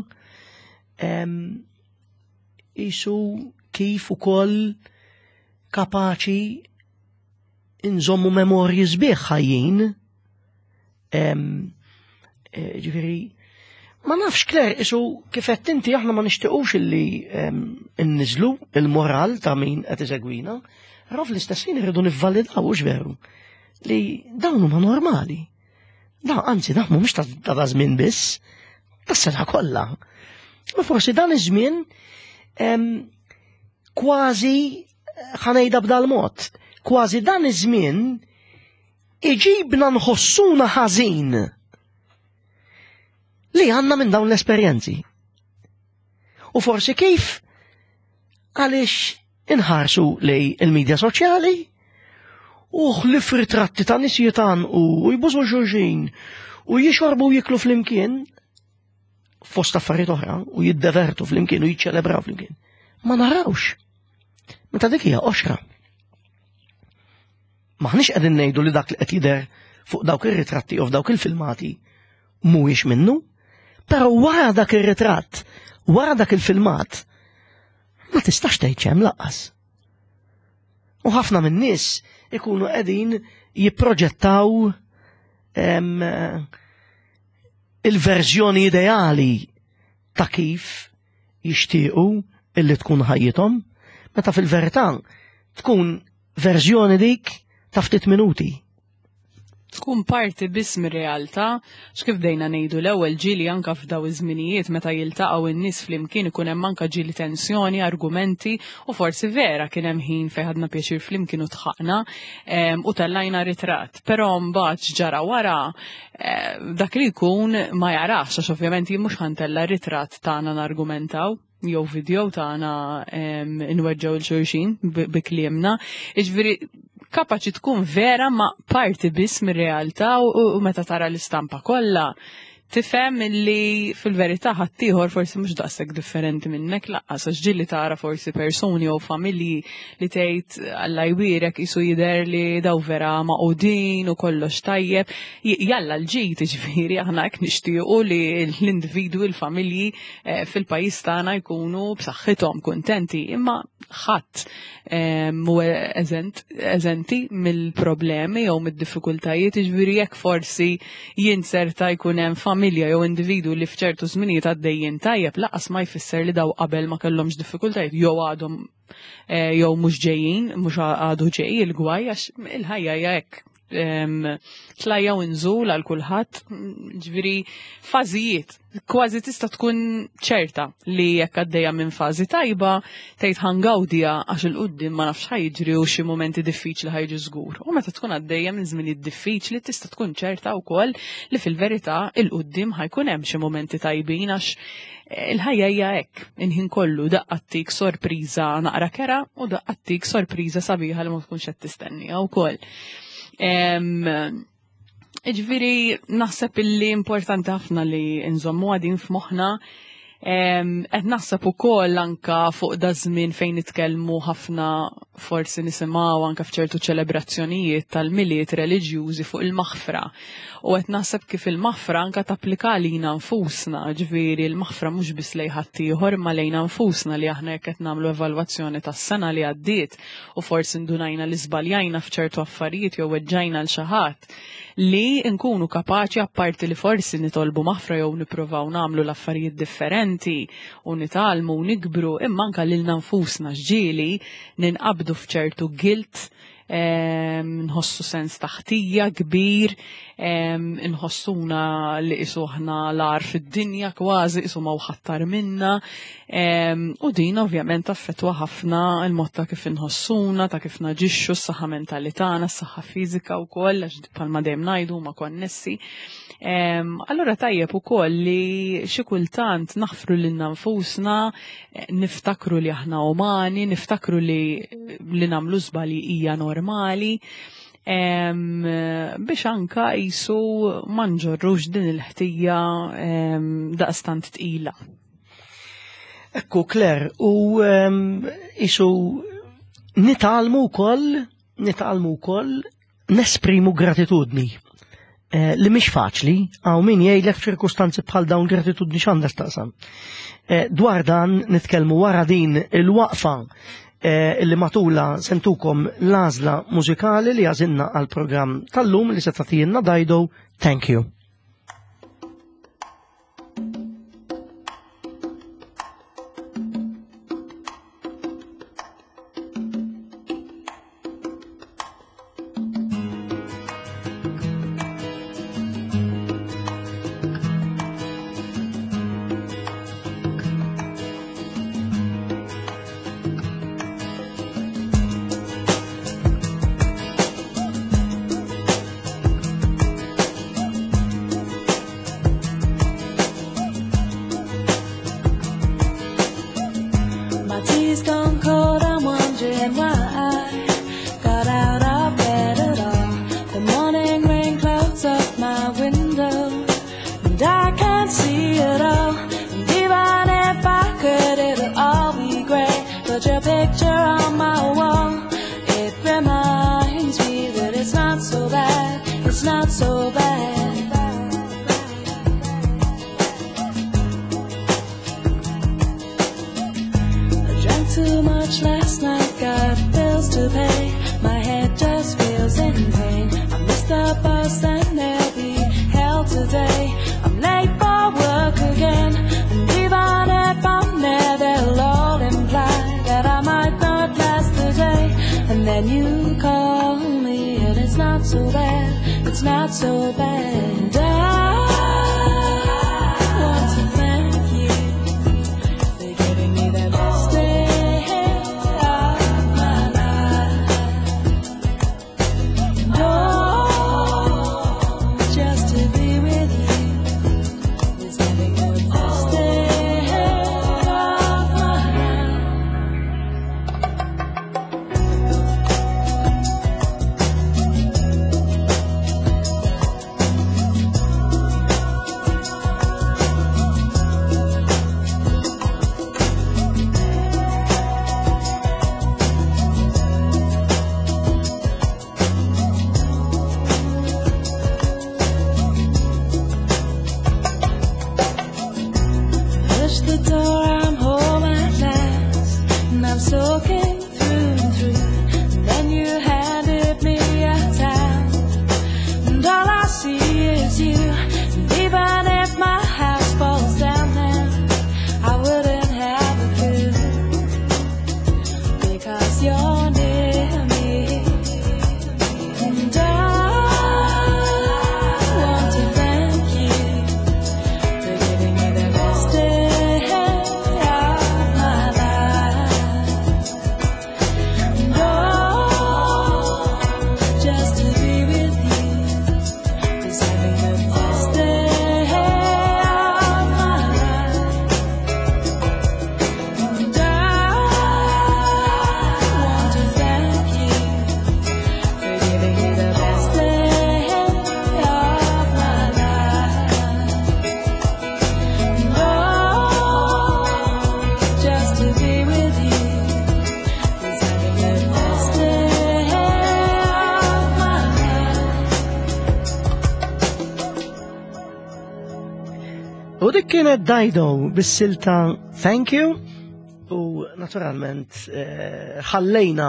Isu kif ukoll kapaċi nżommu memorji sbieħ ħajjin. Ġifieri, ma nafx Claire, isu kif qed inti aħna ma nixtiequx illi nniżlu il-moral ta' min qed isegwina, però fl-istess ħin irridu nivvalidaw, hux veru, li dawn huma normali. Da, anzi, da mhumiex ta' da żmien biss, tas-sena kollha. Ma forsi dan iż-żmien kważi ħa ngħidha b'dal mod, kważi dan iż-żmien iġibna nħossuna ħażin li għandna minn dawn l-esperjenzi. U forsi kif għaliex inħarsu lej il-medja soċjali u ħlif ritratti ta' nies jitgħannqu u jbużu xulxin u jixorbu u jiklu flimkien fost affarijiet oħra u jiddevertu flimkien u jiċċelebraw flimkien. Ma narawx. Meta dik hija qoxra. Maħniex qegħdin ngħidu li dak li qed jidher fuq dawk ir-ritratti u f'dawk il-filmati mhuwiex minnu, però wara dak ir-ritratt, wara dak il-filmat, ma tistax tgħid x'hemm lanqas. U ħafna minn nies ikunu qegħdin jipproġettaw il-verżjoni ideali ta' kif jixtiequ illi tkun ħajjithom, meta fil-verità tkun verżjoni dik ta' ftit minuti. Tkun parti biss mir-realtà, x'kif dejna ngħidu l-ewwel ġieli anka f'daw iż-żminijiet meta jiltaqgħu n-nies flimkien ikun hemm anka ġieli tensjoni, argumenti u forsi vera kien hemm ħin fejn ħadna pjaċir flimkien u dħakna u tellajna ritratt. Però mbagħad ġara wara dak li jkun ma jarax, għax ovvjament jien mhux ħa ntella' ritratt tagħna nargumentaw jew video tagħna nweġġgħu 'l xulxin bi kliemna. Jiġifieri kapaċi tkun vera ma parti biss mir-realtà u meta tara l-istampa kollha tifhem li fil-verità ħaddieħor forsi mhux daqshekk differenti minnek lanqas, għax ġieli tara forsi persuni jew familji li tgħid Alla jbierek isu jidher li daw vera magħqudin u kollox tajjeb. Jalla l-ġid, ġifieri aħna hekk nixtiequ li l-individwi, l-familji fil-pajjiż tagħna jkunu b'saħħithom kuntenti, imma ħadd mhu eżenti mill-problemi jew mid-diffikultajiet, ġifieri jekk forsi jinserta jkun hemm familja jew individu li f'ċertu żminijiet għaddejjin tajjeb, lanqas ma jfisser li daw qabel ma kellhomx diffikultajiet jew għadhom jew mhux ġejjin, mhux għadu ġej il-gwaj, għax il-ħajja hija hekk. Tlajja u nżul għal kulħadd, ġifieri fażijiet, kważi tista' tkun ċerta li jekk għaddejja minn fażi tajba, tgħid ħa ngawdiha għax 'il quddiem ma nafx ħa jiġri u xi mumenti diffiċli ħa jiġu żgur. U meta tkun għaddejja minn żminijiet diffiċli tista' tkun ċerta wkoll li fil-verità 'il quddiem ħa jkun hemm xi mumenti tajbin, għax il-ħajja hija hekk, inħin kollu daqqa ttik sorpriża naqra kera u daqqa ttik sorpriża sabiħa li ma tkunx qed tistennija wkoll. Ġifieri naħseb illi importanti ħafna li nżommu għadin f'moħħna. Qed naħseb ukoll anka fuq da żmien fejn nitkellmu ħafna, forsi nisimgħu anka f'ċertu ċelebrazzjonijiet tal-Milied reliġjużi fuq il-maħfra. U qed naħseb kif il-maħfra anka tapplika lina nfusna, ġifieri l-maħfra mhux biss lejn ħaddieħor ma lejna nfusna, li aħna jekk qed nagħmlu evalwazzjoni tas-sena li għaddiet u forsi ndunajna li żbaljajna f'ċertu affarijiet jew weġġajna l xi ħadd, li nkunu kapaċi, apparti li forsi nitolbu maħfra jew nippruvaw nagħmlu l-affarijiet differenti u nitgħallmu u nikbru, imma anka lilna nfusna ġieli ninqabdu f'ċertu guilt, nħossu sens ta' ħtija kbir, nħossuna li qisu aħna l-agħar fid-dinja kważi, qisu ma ħattar minna, u din ovvjament affettwa ħafna il-mod ta' kif inħossuna, ta' kif naġixxu, s-saħħa mentali tagħna, s-saħħa fiżika wkoll, għax bħalma dejjem ngħidu huma konnessi. Allura tajjeb ukoll li xi kultant naħfru lilna nfusna, niftakru li aħna umani, niftakru li li nagħmlu żbalji hija normali, biex anka jisu ma nġorrux din il-ħtija daqstant tqila. Ekku, Claire, u jisu nitgħallmu wkoll, nitgħallmu wkoll nesprimu gratitudni. Eh, li mhix faċli, għaw min jgħidlek f'ċirkustanzi bħal dawn gratitudni x'għandha x'taqsam. Eh, dwar dan nitkellmu wara din il-waqfa eh, li matula sentukom l-għażla mużikali li għażilna għal-programm tal-lum li se tagħtina Dido. Thank you. My life. Kienet Dido bis-silta "Thank You" u naturalment eh, ħallejna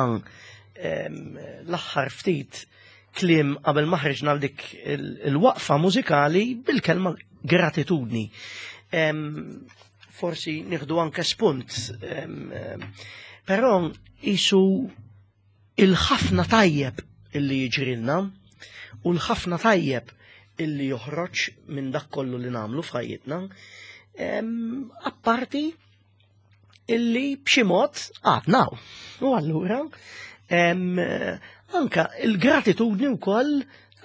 em, l-aħħar ftit kliem qabel ma ħriġna għal dik il- il-waqfa mużikali bil-kelma gratitudni. Em, Forsi nieħdu anke spunt, em, em, però isu il-ħafna tajjeb illi jiġrilna u l-ħafna tajjeb illi joħroġ minn dak kollu li nagħmlu f'ħajjitna, em, apparti illi b'xi mod għadna. U allura em, anka il-gratitudni wkoll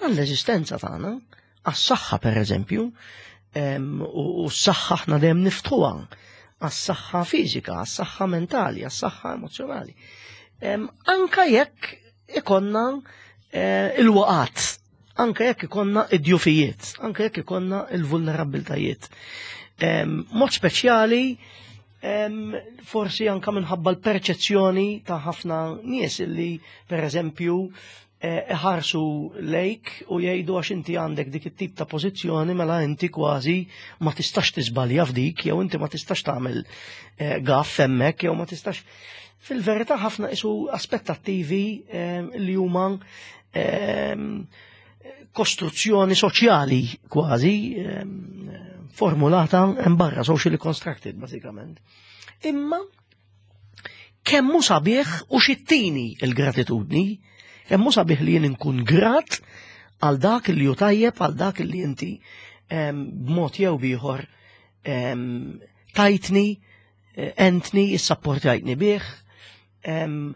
għall-eżistenza tagħna, għas-saħħa per eżempju, em, u u s-saħħa aħna dejjem niftħuha għas-saħħa fiżika, għas-saħħa mentali, għas-saħħa emozjonali. Em, Anka jekk ikonna eh, il-waqat, anka jekk ikonna id-djufijiet, anka jekk ikonna il-vulnerabbiltajiet. Em, Mod speċjali, em, forsi anka minħabba l-perċezzjoni ta' ħafna nies illi, per eżempju, eh, iħarsu lejk u jgħidu għax inti għandek dik it-tip ta' pożizzjoni, mela inti kważi ma tistax tiżbalja f'dik, jew inti ma tistax tagħmel eh, gaff hemmhekk, jew ma tistax. Fil-verità ħafna isu aspettattivi eh, li huma eh, kostruzzjoni soċjali kważi eh, formulata hemm barra, socially constructed bażikament. Imma kemm hu sabiħ u x'tini il-gratitudni, kemm hu sabiħ li jien inkun grat għal dak li hu tajjeb, għal dak li inti em, b'mod jew b'ieħor em, tajtni, eh, entni, issapportajtni bih, em,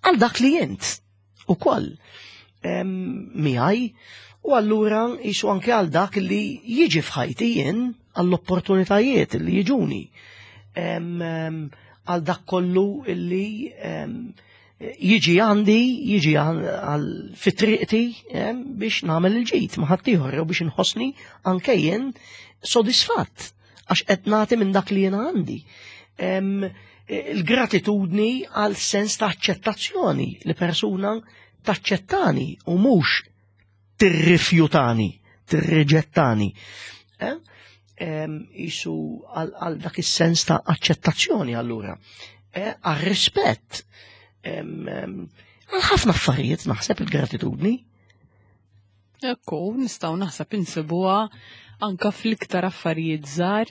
għal dak li jint ukoll miegħi u allura jisu anke għal dak li jiġi f'ħajti jien, għall-opportunitajiet li jiġuni. Em, em, Għal dak kollu li em, jiġi għandi, jiġi għal fit-triqti em, biex nagħmel il-ġid ma' ħaddieħor jew biex inħossni anke jien sodisfatt għax qed nagħti minn dak li jiena għandi. Em, Il-gratitudni għal sens ta' aċċettazzjoni, li persuna taċċettani u mhux tirrifjutani, tirriġettani. Eh? Em, Isu għal għal dak is-sens ta' aċċettazzjoni allura. Eh, Għal rispett. Em, em, Għal ħafna affarijiet naħseb il-gratitudni. Ekku, nistgħu naħseb insibuha anka fl-iktar affarijiet żgħar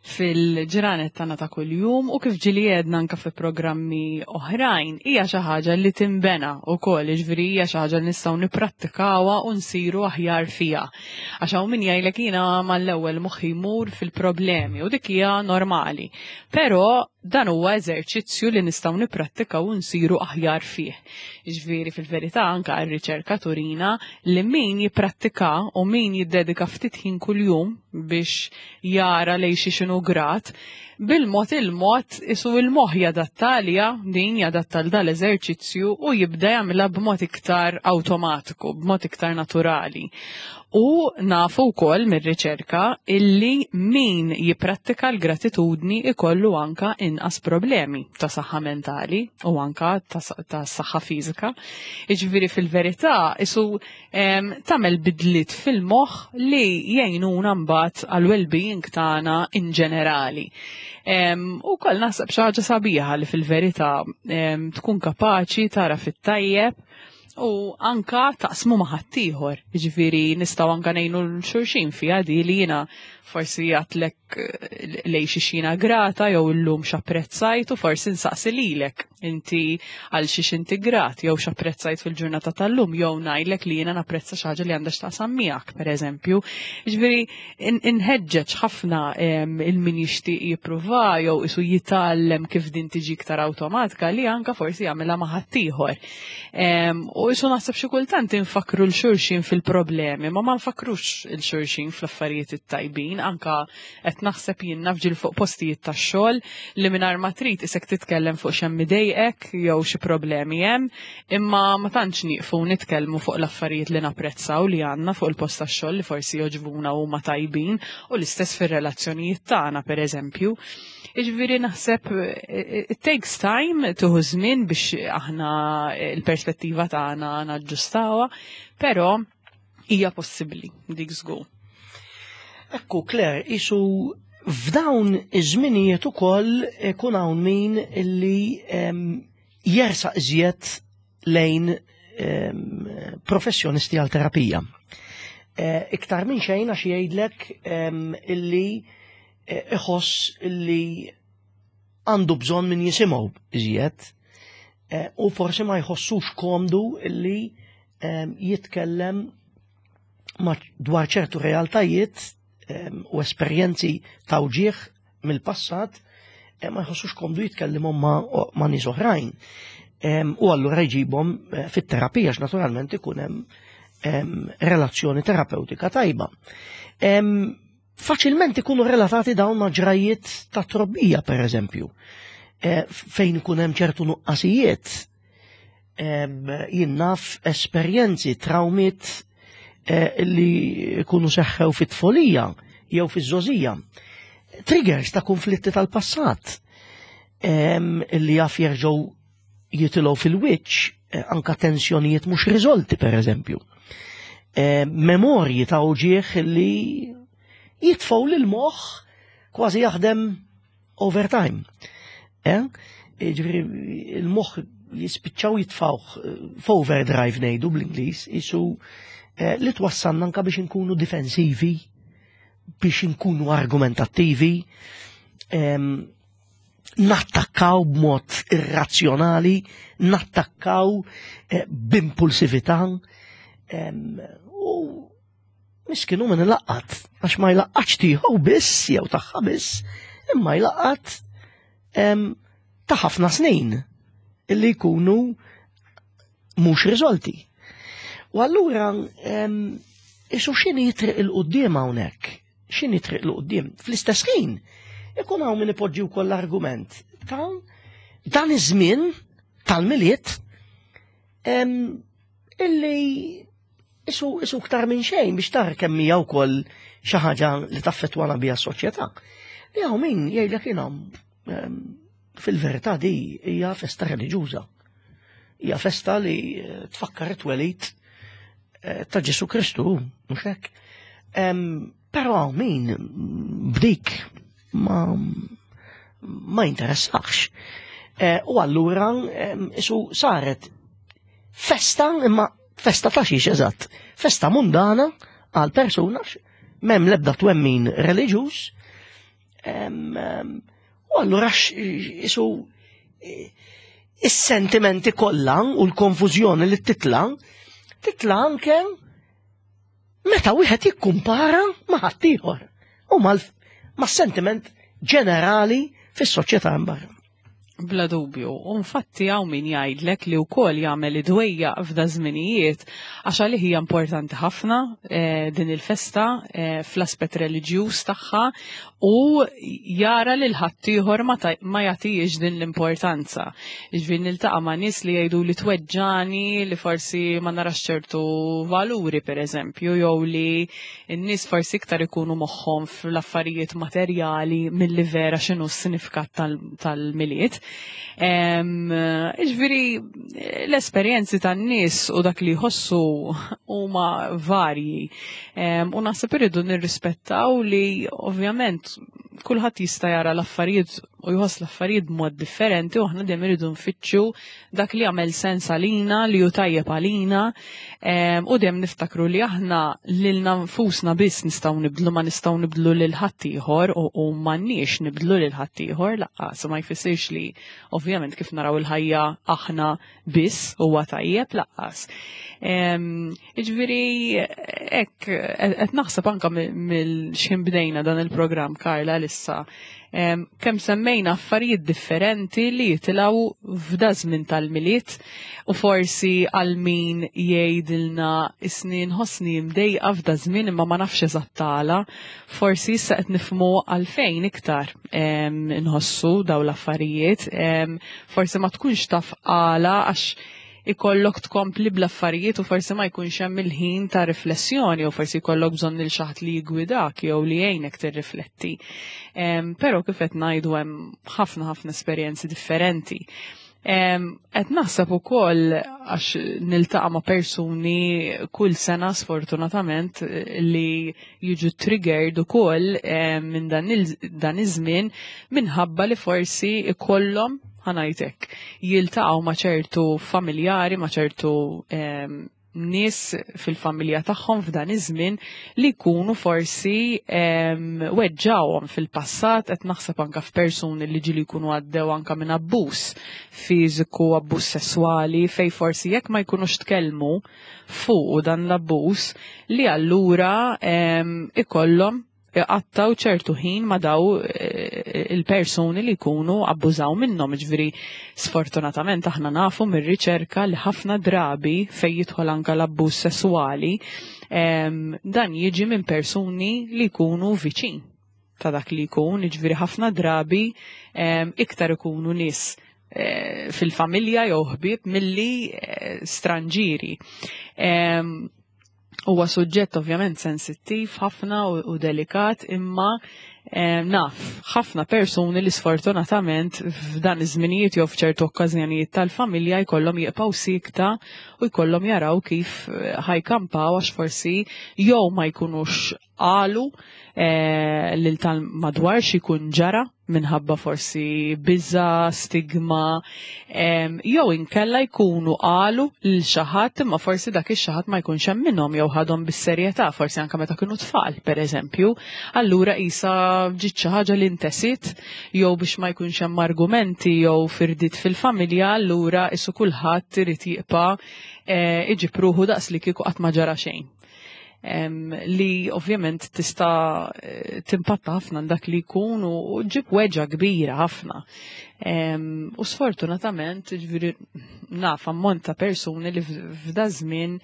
fil-ġranet tagħna ta' kuljum u kif ġieli għedna anka fi programmi oħrajn, hija xi ħaġa li timbena wkoll, jiġifieri hija xi ħaġa li nistgħu nipprattikawha u nsiru aħjar fiha. Għax hawn min jgħidlek jiena mal-ewwel moħħi jmur fil-problemi u dik hija normali. Però dan huwa eżerċizzju li nistgħu nipprattikaw u nsiru aħjar fih. Jiġifieri fil-verità anka r-riċerka turina li min jipprattika u min jiddedika ftit ħin kuljum biex jara lejn xi x'inhu grat, bil-mod il-mod isu il-moħħ jadatta għaliha din, jadatta l dal-eżerċizzju u jibda jagħmilha b'mod iktar awtomatiku, b'mod iktar naturali. U nafu wkoll mir-riċerka illi min jipprattika l-gratitudni ikollu anka inqas problemi ta' saħħa mentali u anka ta' ta' saħħa fiżika. Jiġifieri fil-verità isu em, tagħmel bidliet fil-moħħ li jgħinuna mbagħad għal well-being tagħna in ġenerali. Em, U koll naħseb xi ħaġa sabiħa li fil-verità em, tkun kapaċi tara fit-tajjeb u anka taqsmu ma' ħaddieħor. Jiġifieri nistgħu anka ngħinu 'l xulxin fiha di, li jiena forsi għedtlek eh, lejn xi xina grata jew illum x'apprezzajt u forsi nsaqsi lilek inti għal xiex inti grat jew x'apprezzajt fil-ġurnata tal-lum, jew ngħidlek li jiena napprezza xi ħaġa li għandha x'taqsam miegħek, pereżempju. Jiġifieri in- inħeġġeġ ħafna em, il-min jixtieq jippruva jew isu jitgħallem kif din tiġi iktar awtomatika li anka forsi jagħmilha ma' ħaddieħor. Em, U isu naħseb xi kultant infakru 'l xulxin fil-problemi, ma ma nfakrux 'il xulxin fl-affarijiet it-tajbin, anka qed naħseb jien naf ġieli fuq postijiet tax-xogħol li mingħajr ma trid isek titkellem fuq x'hemm idejqek jew xi problemi hemm, imma ma tantx nieqfu nitkellmu fuq l-affarijiet li napprezzaw li għandna fuq il-post tax-xogħol li forsi jogħġbuna u huma tajbin, u l-istess fir-relazzjonijiet tagħna, pereżempju. Jiġifieri naħseb eh, it takes time, tieħu żmien biex aħna il-perspettiva tagħna naġġustawha, però hija possibbli dik żgur. Ekku, Claire, isu F'dawn iż-żminijiet ukoll ikun hawn min illi jersaq iżjed lejn professjonisti għal terapija. Iktar minn xejn għax jgħidlek illi iħoss illi għandu bżonn min jisimgħu iżjed u forsi ma jħossux komdu illi jitkellem dwar ċertu realtajiet u esperjenzi ta' wġieħ mill-passat, ma jħossux komdu jitkellimhom ma' nies oħrajn. U allura jġibhom fit-terapija għax naturalment ikun hemm relazzjoni terapeutika tajba. Faċilment ikunu relatati dawn ma' ġrajiet ta' trobbija, per eżempju, fejn ikun hemm ċertu nuqqasijiet, jien naf esperjenzi, trawmiet li jkunu seħħew fit-tfolija jew fiż-żgħożija. Triggers ta' konflitti tal-passat li jaf jerġgħu jitilgħu fil-wiċċ, anka tensjonijiet mhux riżolti, per eżempju. Memorji ta' uġieħ li jitfgħu lil moħħ kważi jaħdem overtime. Ġifieri il-moħħ jispiċċaw jitfgħuh f'overdrive ngħidu bl-Ingliż, isu li twassalna anka biex inkunu difensivi, biex inkunu argumentattivi, nattakkaw b'mod irrazzjonali, nattakkaw b'impulsività, u miskinu min ilaqqat, għax ma jlaqqatx tiegħu biss jew tagħha biss, imma jlaqqat ta' ħafna snin illi jkunu mhux riżolti. U allura isu x'inhi triq 'il quddiem hawnhekk? X'inhi triq 'il quddiem? Fl-istess ħin ikun hawn min ipoġġi wkoll l-argument ta' dan iż-żmien tal-Milied illi isu isu ktar minn xejn biex tara kemm hija wkoll xi ħaġa li taffettwana biha s-soċjetà. Li hawn min jgħidlek jiena fil-verità di hija festa reliġjuża. Hija festa li tfakkar it-twelid ta' Ġesu Kristu, mhux hekk. Però hawn min b'dik ma ma jinteressax. U allura isu saret festa, imma festa ta' xiex eżatt, festa mundana għal persuna m'hemm l-ebda twemmin reliġjuż. U allura isu is-sentimenti kollha u l-konfużjoni li titla, titla anke meta wieħed jikkumpara ma' ħaddieħor u mas-sentiment ġenerali fis-soċjetà barra. Bla dubju, u infatti hawn min jgħidlek li wkoll jagħmel id-dwejja f'da żminijiet għax għalih hija importanti ħafna eh, din il-festa eh, fl-aspett reliġjuż tagħha u jara lil ħaddieħor ma, ma jagħtihiex din l-importanza. Jiġifieri niltaqa' ma' nies li jgħidu li tweġġani li forsi ma narax ċertu valuri pereżempju, jew li n-nies forsi iktar ikunu moħħhom fl-affarijiet materjali milli vera x'inhu s-sinifikat tal-Milied. Ġifieri l-esperjenzi tan-nies u dak li jħossu huma varji. U naħseb irridu nirrispettaw li ovvjament kulħadd jista' jara l-affarijiet u jħoss l-affarijiet b'mod differenti u aħna dejjem irridu nfittxu dak li jagħmel sens għalina, li hu tajjeb għalina, u dejjem niftakru li aħna lilna nfusna biss nistgħu nibdlu, ma nistgħu nibdlu lil ħaddieħor u, u m'għandniex nibdlu lil ħaddieħor laqqas, ma jfissirx li ovvjament kif naraw il-ħajja aħna biss huwa tajjeb laqqas. Jiġifieri hekk qed naħseb anke mill-xejn bdejna dan il-programm Karla issa kemm semmejna affarijiet differenti li jitilgħu f'da żmien tal-Milied u forsi għal min jgħidilna isni nħossni mdejqa f'da żmien imma ma nafx eżatt għala, forsi issa qed nifhmu għalfejn iktar nħossu daw l-affarijiet, forsi ma tkunx taf għala għax ikollok tkompli bl-affarijiet u forsi ma jkunx hemm il-ħin ta' riflessjoni u forsi jkollok bżonn il xi ħadd li jgwidak jew li jgħinek tirrifletti. Però kif qed ngħidu hemm ħafna ħafna esperjenzi differenti. Qed naħseb ukoll għax niltaqa' ma' persuni kull sena sfortunatament li jiġu triggered ukoll minn dan iż-żmien minħabba li forsi ikollhom, ħa ngħidlek, jiltaqgħu ma' ċertu familjari, ma' ċertu nies fil-familja tagħhom f'dan iż-żmien li jkunu forsi weġġawhom fil-passat. Qed naħseb anka f'persuni li ġieli jkunu għaddew anka minn abbuż fiżiku, abbuż sesswali, fej forsi jekk ma jkunux tkellmu fuq dan l-abbuż li allura ikollhom iqattaw ċertu ħin ma' daw eh, il-persuni li jkunu abbużaw minnhom. Ġifieri sfortunatament aħna nafu mir-riċerka li ħafna drabi fej jidħol anka l-abbuż sesswali dan jiġi minn persuni li jkunu viċin ta' dak li jkun, ġifieri ħafna drabi iktar ikunu nies eh, fil-familja jew ħbieb milli eh, stranġiri. Huwa suġġett ovvjament sensittiv ħafna u, u delikat, imma eh, naf ħafna persuni li sfortunatament f'dan iż-żminijiet jew f'ċertu okkażjonijiet tal-familja jkollhom jibqgħu sikta u jkollhom jaraw kif eh, ħa jkampaw għax forsi jew ma jkunux qalu eh, lil tal-madwar x'ikun ġara minħabba forsi biża, stigma, jew inkella jkunu qalu lil xi ħadd imma forsi dak ix-xi ħadd ma jkunx hemm minnhom jew ħadhom bis-serjetà, forsi anke meta kienu tfal, pereżempju. Allura isa ġiet xi ħaġa li ntesit jew biex ma jkunx hemm argumenti jew firdiet fil-familja, allura isu kulħadd irid jibqa' eh, iġib ruħu daqs li kieku qatt ma ġara xejn li ovvjament tista' eh, timpatta ħafna dak li jkun u ġib weġa kbira ħafna. U sfortunatament, ġifieri naf ammont ta' persuni li f'da żmien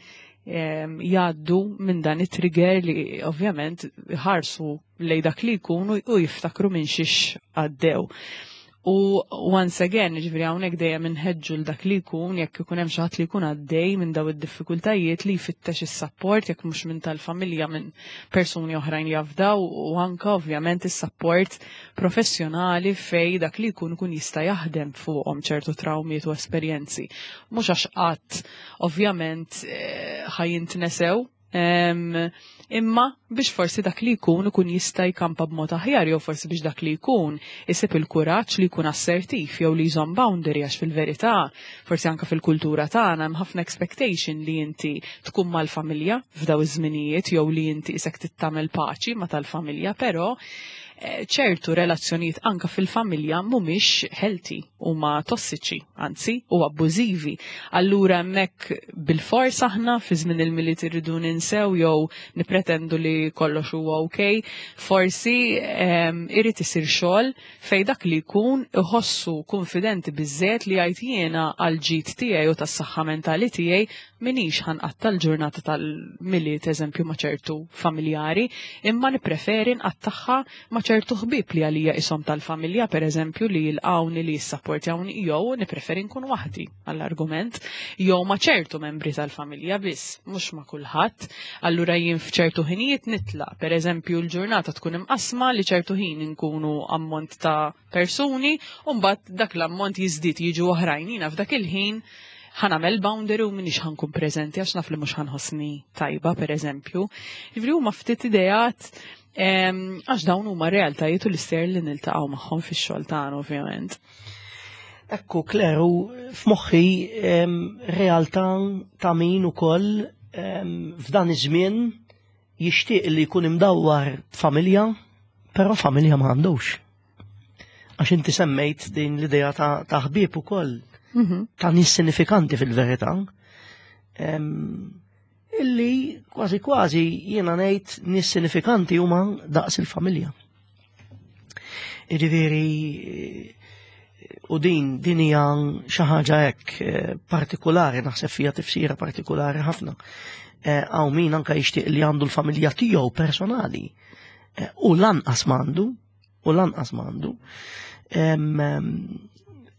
jgħaddu minn dan it-trigger li ovvjament ħarsu lej dak li jkun u jiftakru minn xiex għaddew. U once again, ġifieri hawnhekk dejjem inħeġġu l dak li jkun, jekk ikun hemm xi ħadd li jkun għaddej minn daw id-diffikultajiet, li jfittex is-support, jekk mhux minn tal-familja, minn persuni oħrajn li jafdaw, u anka ovvjament is-support professjonali fej dak li jkun ikun jista' jaħdem fuqhom ċertu trawmiet u esperjenzi. Mhux għax qatt ovvjament eh, ħa jintnesew, imma biex forsi dak li jkun ikun jista' jkampa b'mod aħjar jew forsi biex dak li jkun isib il-kuraġġ li jkun assertiv jew li jżomm boundary, għax fil-verità forsi anke fil-kultura tagħna hemm ħafna expectation li inti tkun mal-familja f'daw iż-żminijiet jew li inti isek tittamel paċi ma tal-familja, però eh, ċertu relazzjonijiet anka fil-familja mhumiex healthy, huma tossiċi, anzi, u abbużivi. Allura hemmhekk bil-fors aħna fi żmien il-Milied irridu ninsew jew nipretendu li kollox huwa ok, forsi irid isir xogħol fej dak li jkun iħossu konfidenti biżżejjed li jgħid jiena għal ġid tiegħi u tas-saħħa mentali tiegħi minix ħa nqatta l-ġurnata tal-Milied, eżempju, ma' ċertu familjari, imma nippreferi nqattagħha ma' ċertu ħbieb li għalija ishom tal-familja, per eżempju, li jilqawni, li jissapportjawni, jew nippreferi nkun waħdi għall-argument, jew ma' ċertu membri tal-familja biss, mhux ma' kulħadd. Allura jien f'ċertu ħinijiet nitlaq, per eżempju, l-ġurnata tkun imqasma li ċertu ħin nkunu ammont ta' persuni, u mbagħad dak l-ammont jiżdied, jiġu oħrajn, jiena f'dak il-ħin ħa nagħmel boundary u minix ħa nkun preżenti għax naf li mhux ħa nħossni tajba, per eżempju. Ġifieri huma ftit ideat għax dawn huma realtajiet u l-istejjer li niltaqgħu magħhom fix-xogħol tagħna ovvjament. Ekku, Claire, u f'moħħi realtà ta' min ukoll f'dan iż-żmien jixtieq li jkun imdawwar familja, però familja ma għandux. Għax inti semmejt din l-idea ta' ħbieb ukoll, mhm. ta' nies sinifikanti fil-verità, illi kważi kważi jiena ngħid nies sinifikanti huma daqs il-familja. Jiġifieri u din din hija xi ħaġa hekk eh, partikolari, naħseb fija tifsira partikolari ħafna. Eh, hawn min anka jixtieq li għandu l-familja tiegħu personali eh, u lanqas m'għandu, u lanqas m'għandu.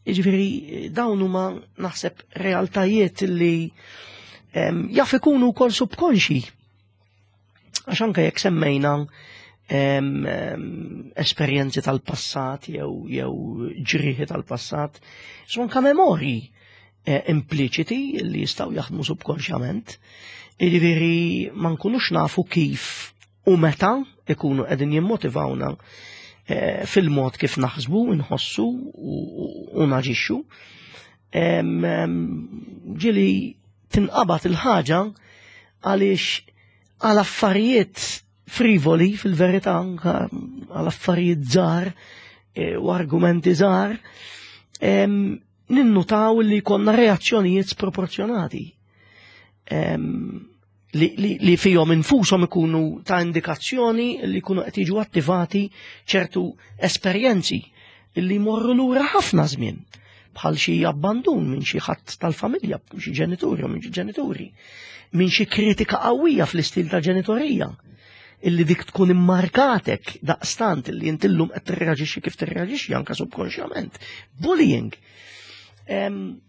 Jiġifieri dawn huma naħseb realtajiet li jaf ikunu wkoll subkonxi. Għax anke jekk semmejna em, em, esperjenzi tal-passat jew jew ġrieħi tal-passat, so anka memorji eh, impliċiti li jistgħu jaħdmu subkonxjament. Jiġifieri ma nkunux nafu kif u meta ikunu qegħdin jimmotivawna eh, fil-mod kif naħsbu, nħossu u, u naġixxu. Em, em, Ġieli tinqabad il-ħaġa għaliex għal affarijiet frivoli fil-verità, anka għal affarijiet żgħar eh, u argumenti żgħar, em, ninnutaw li konna reazzjonijiet sproporzjonati. Em, li, li, li fihom infushom ikunu ta' indikazzjoni li jkunu qed jiġu attivati ċertu esperjenzi li jmorru lura ħafna żmien, bħal xi abbandun minn xi ħadd tal-familja, xi ġenituri u minn xi ġenituri, minn xi kritika qawwija fl-istil ta' ġenitorija, illi dik tkun immarkatek daqstant illi inti llum qed tirreaġixxi kif tirreaġixxi anka subkonxjament. Bullying. Em,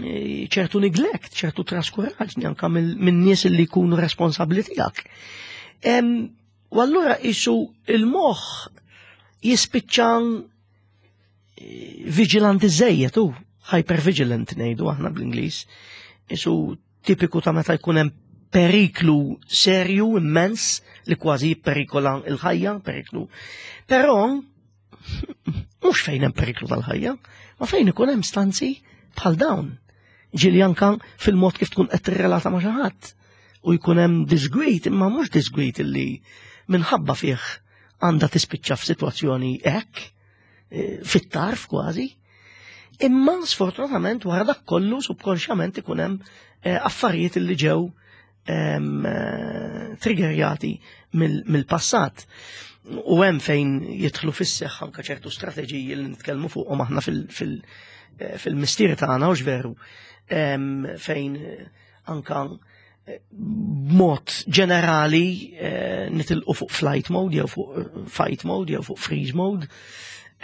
eh, ċertu neglect, ċertu traskuraġni anka minn nies li jkunu responsabbli tiegħek. Em, U allura isu il-moħħ jispiċċa vigilanti żejjed u hypervigilant ngħidu aħna bl-Ingliż. Isu tipiku ta' meta jkun hemm periklu serju immens li kważi jipperikola il-ħajja, periklu. Però mhux fejn hemm periklu tal-ħajja, ma fejn ikun hemm stanzi bħal dawn. Ġieli anka fil-mod kif tkun qed tirrelata ma' xi ħadd u jkun hemm disgwit, imma mhux disgwit illi minħabba fih għandha tispiċċa f'sitwazzjoni hekk, eh, fit-tarf kważi. Imma sfortunatament wara dak kollu subkonxjament ikun hemm eh, affarijiet li ġew em, eh, triggerjati mill-passat. U hemm fejn jidħlu fis-seħħ anke ċertu strateġiji li nitkellmu fuqhom aħna fil- fil- eh, fil-mistier tagħna u veru em, fejn eh, anka eh, b'mod ġenerali eh, nitilqu fuq flight mode jew fuq eh, fight mode jew fuq freeze mode.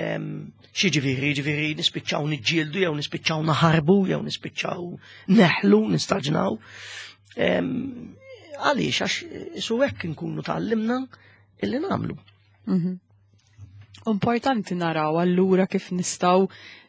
Em, Xi ġifieri, ġifieri nispiċċaw niġġieldu jew nispiċċaw naħarbu jew nispiċċaw neħlu, nistaġnaw. Em, Għaliex, għax su hekk nkunu tgħallimna illi nagħmlu. Mhm. Importanti naraw allura kif nistgħu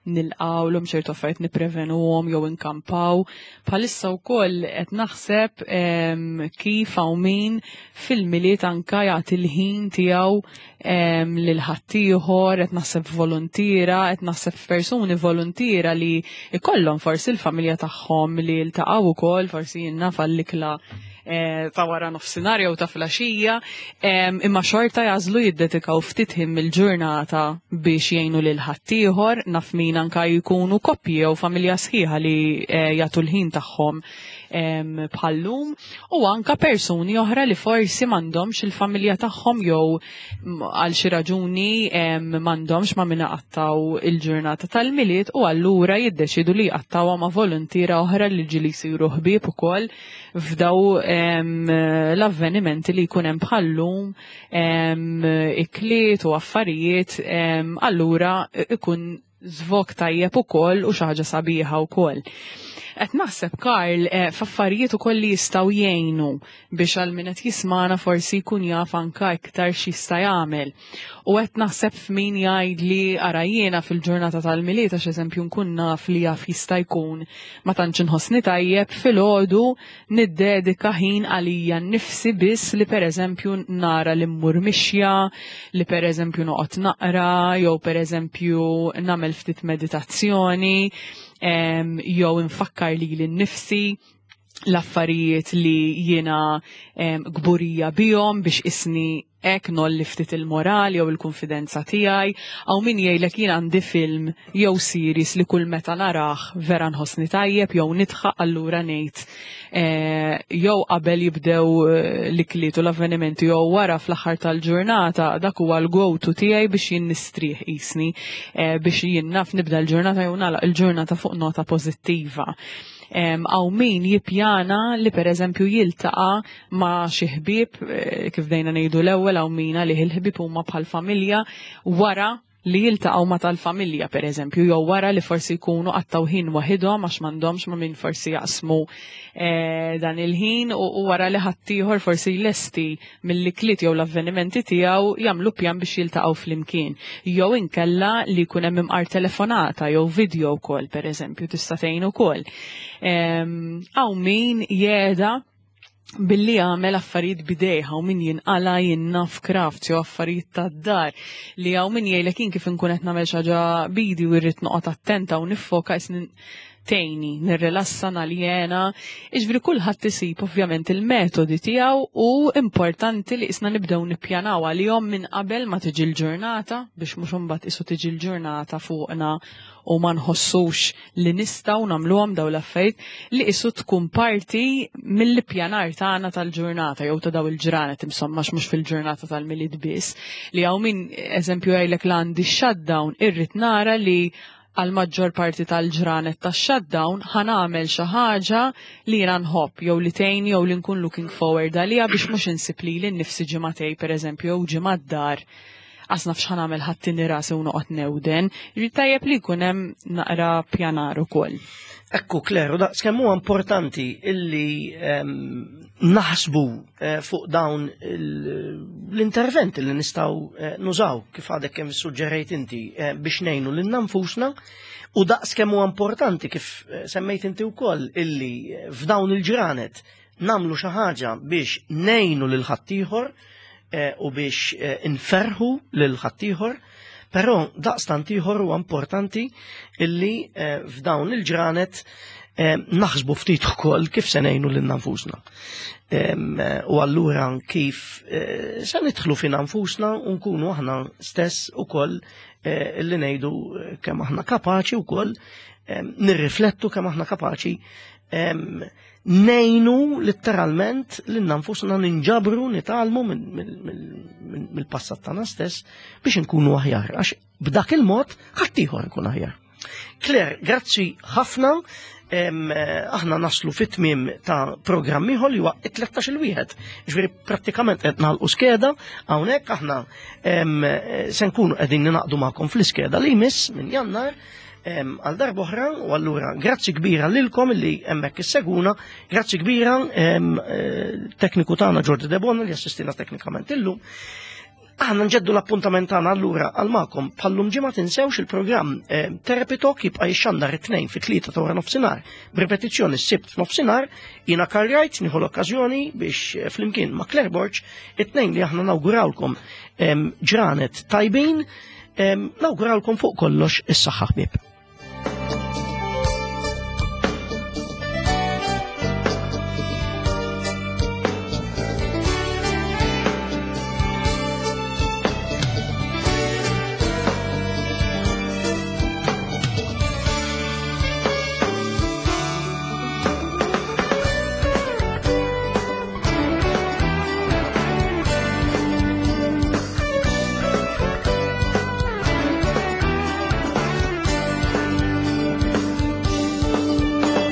nilqawlhom ċertu affarijiet, nipprevenuhom jew inkampaw. Bħalissa wkoll qed naħseb em, kif hawn min fil-Milied anka jagħti l-ħin tiegħu em, lil ħaddieħor, qed naħseb volontiera, qed naħseb persuni volontiera li ikollhom forsi l-familja tagħhom li ltaqgħu ukoll forsi jiena għall-ikla eh, ta' wara nofsinhar jew ta' filgħaxija, em, imma xorta jagħżlu jiddedikaw ftit ħin mill-ġurnata biex jgħinu lil ħaddieħor. Naf min anka jkunu koppji jew familja sħiħa li eh, jagħtu l-ħin tagħhom em, bħallum u anka persuni oħra li forsi m'għandhomx il-familja tagħhom jew m, għal xi raġuni em, m'għandhomx ma' min iqattgħu il-ġurnata tal-Milied u allura jiddeċidu li jqattawha ma' volontiera oħra li ġieli jsiru ħbieb ukoll f'daw em, l-avvenimenti li jkun hemm bħallum em, ikliet u affarijiet em, allura ikun żvog tajjeb ukoll u xi ħaġa sabiħa wkoll. Qed naħseb, Karl, eh, f'affarijiet ukoll li jistgħu jgħinu biex għal min qed jismana forsi jkun jaf anka iktar x'jista' jagħmel. U qed naħseb f'min jgħid li ara jiena fil-ġurnata tal-Milied, għax eżempju nkun naf li jaf jista' jkun ma tantx inħossni tajjeb, filgħodu niddedika ħin għalija nnifsi biss, li pereżempju nara li mmur mixja, li pereżempju noqgħod naqra, jew pereżempju nagħmel ftit meditazzjoni, em, jew infakkar lili nnifsi l-affarijiet li jiena em, kburija bihom biex isni hekk ngħolli ftit il-moral jew il-konfidenza tiegħi. Hawn min jgħidlek jien għandi film jew series li kull meta narah vera nħossni tajjeb jew nidħaq, allura ngħid eh, jew qabel jibdew eh, l-ikliet u l-avvenimenti jew wara fl-aħħar tal-ġurnata, dak huwa l-go-to tiegħi biex jien nistrieħ qisni eh, biex jien naf nibda l-ġurnata jew nagħlaq il-ġurnata fuq nota pożittiva. Hawn min jippjana li per eżempju jiltaqa' ma' xi ħbieb, eh, kif dejna ngħidu l-ewwel, hawn min li il-ħbieb huma bħal familja wara. li jiltaqgħu ma' tal-familja pereżempju, jew wara li forsi jkunu qattgħu ħin waħidhom għax m'għandhomx ma' min forsi jaqsmu eh, dan il-ħin u, u wara li ħaddieħor forsi jlesti mill-ikliet jew l-avvenimenti tiegħu jagħmlu pjan biex jiltaqgħu flimkien. Jew inkella li jkun hemm imqar telefonata jew video call pereżempju tista' tgħin ukoll. Hawn min jeda billi għamel affarijiet b'idejh, hawn min jinqala jinnaf craft jew affarijiet tad-dar li hawn min jgħidlek jien kif inkun qed nagħmel xi ħaġa b'idi u rrid noqgħod attenta u niffoka isni tgħinni, nirrilassa naljena. Iġifieri kulħadd isib ovvjament il-metodi tiegħu u importanti li isna nibdew nippjanaw għalihom minn qabel ma tiġi l-ġurnata biex mhux imbagħad isu tiġi l-ġurnata fuqna u ma nħossux li nistgħu nagħmluhom daw l-affarijiet li isu tkun parti mill-ippjanar tagħna tal-ġurnata jew ta' daw il-ġranet insomma mhux fil-ġurnata tal-Milied biss li hawn min eżempju jgħidlek l għandi shutdown irrid nara li għal maġġor parti tal-ġranet ta' shutdown ħa nagħmel xi ħaġa li jiena nħobb jew li tgħinni jew li nkun looking forward għaliha biex mhux insib lili nnifsi ġimagħtejn pereżempju jew ġimgħa d-dar għax naf x'ħa nagħmel ħattini rasi u noqgħod newden. Ġifieri tajjeb li jkun hemm naqra pjanar ukoll. Ekku, Claire, daqs kemm huwa importanti illi em, naħsbu eh, fuq dawn il- l-interventi li nistgħu eh, nużaw kif għadek kemm suġġerejt inti eh, biex ngħinu lil nfusna u daqs kemm huwa importanti kif eh, semmejt inti wkoll illi eh, f'dawn il-ġranet nagħmlu xi ħaġa biex ngħinu lil ħaddieħor eh, u biex eh, inferħu lil ħaddieħor. Però daqstant ieħor huwa importanti illi eh, f'dawn il-ġranet eh, naħsbu ftit ukoll kif se ngħinu lil nfusna. Em, eh, U allura kif eh, se nidħlu fina nfusna u nkunu aħna stess ukoll eh, illi ngħidu eh, kemm aħna kapaċi wkoll em, nirriflettu kemm aħna kapaċi em, ngħinu letteralment lil nfusna ninġabru nitgħallmu mill-passat tagħna stess biex nkunu aħjar għax b'dak il-mod ħaddieħor ikun aħjar. Claire, grazzi ħafna. Em, eh, aħna naslu fit-tmiem ta' programm ieħor li huwa it-tlettax il-wieħed. Ġifieri prattikament qed nagħlqu skeda hawnhekk aħna em, eh, se nkunu qegħdin ninaqdu magħkom fl-iskeda li jmiss minn Jannar em, għal darb'oħra u allura grazzi kbira lilkom li hemmhekk isseguna, grazzi kbira em, eh, tekniku tagħna Jordi Debona li assistina teknikament illum. Aħna nġeddu l-appuntament tagħna allura għal magħkom bħallum ġimgħa tinsewx il-programm eh, Therapy Talk jibqa' jixxandar it-tnejn fit-tlieta ta' wara nofsinhar b'ripetizzjoni s-sibt f'nofsinhar jiena Karl Wright nieħu l-okkażjoni biex eh, flimkien ma' Claire Borg it-tnejn li aħna nawgurawlkom em, ġranet tajbin em, nawgurawlkom fuq kollox is-saħħa ħbieb.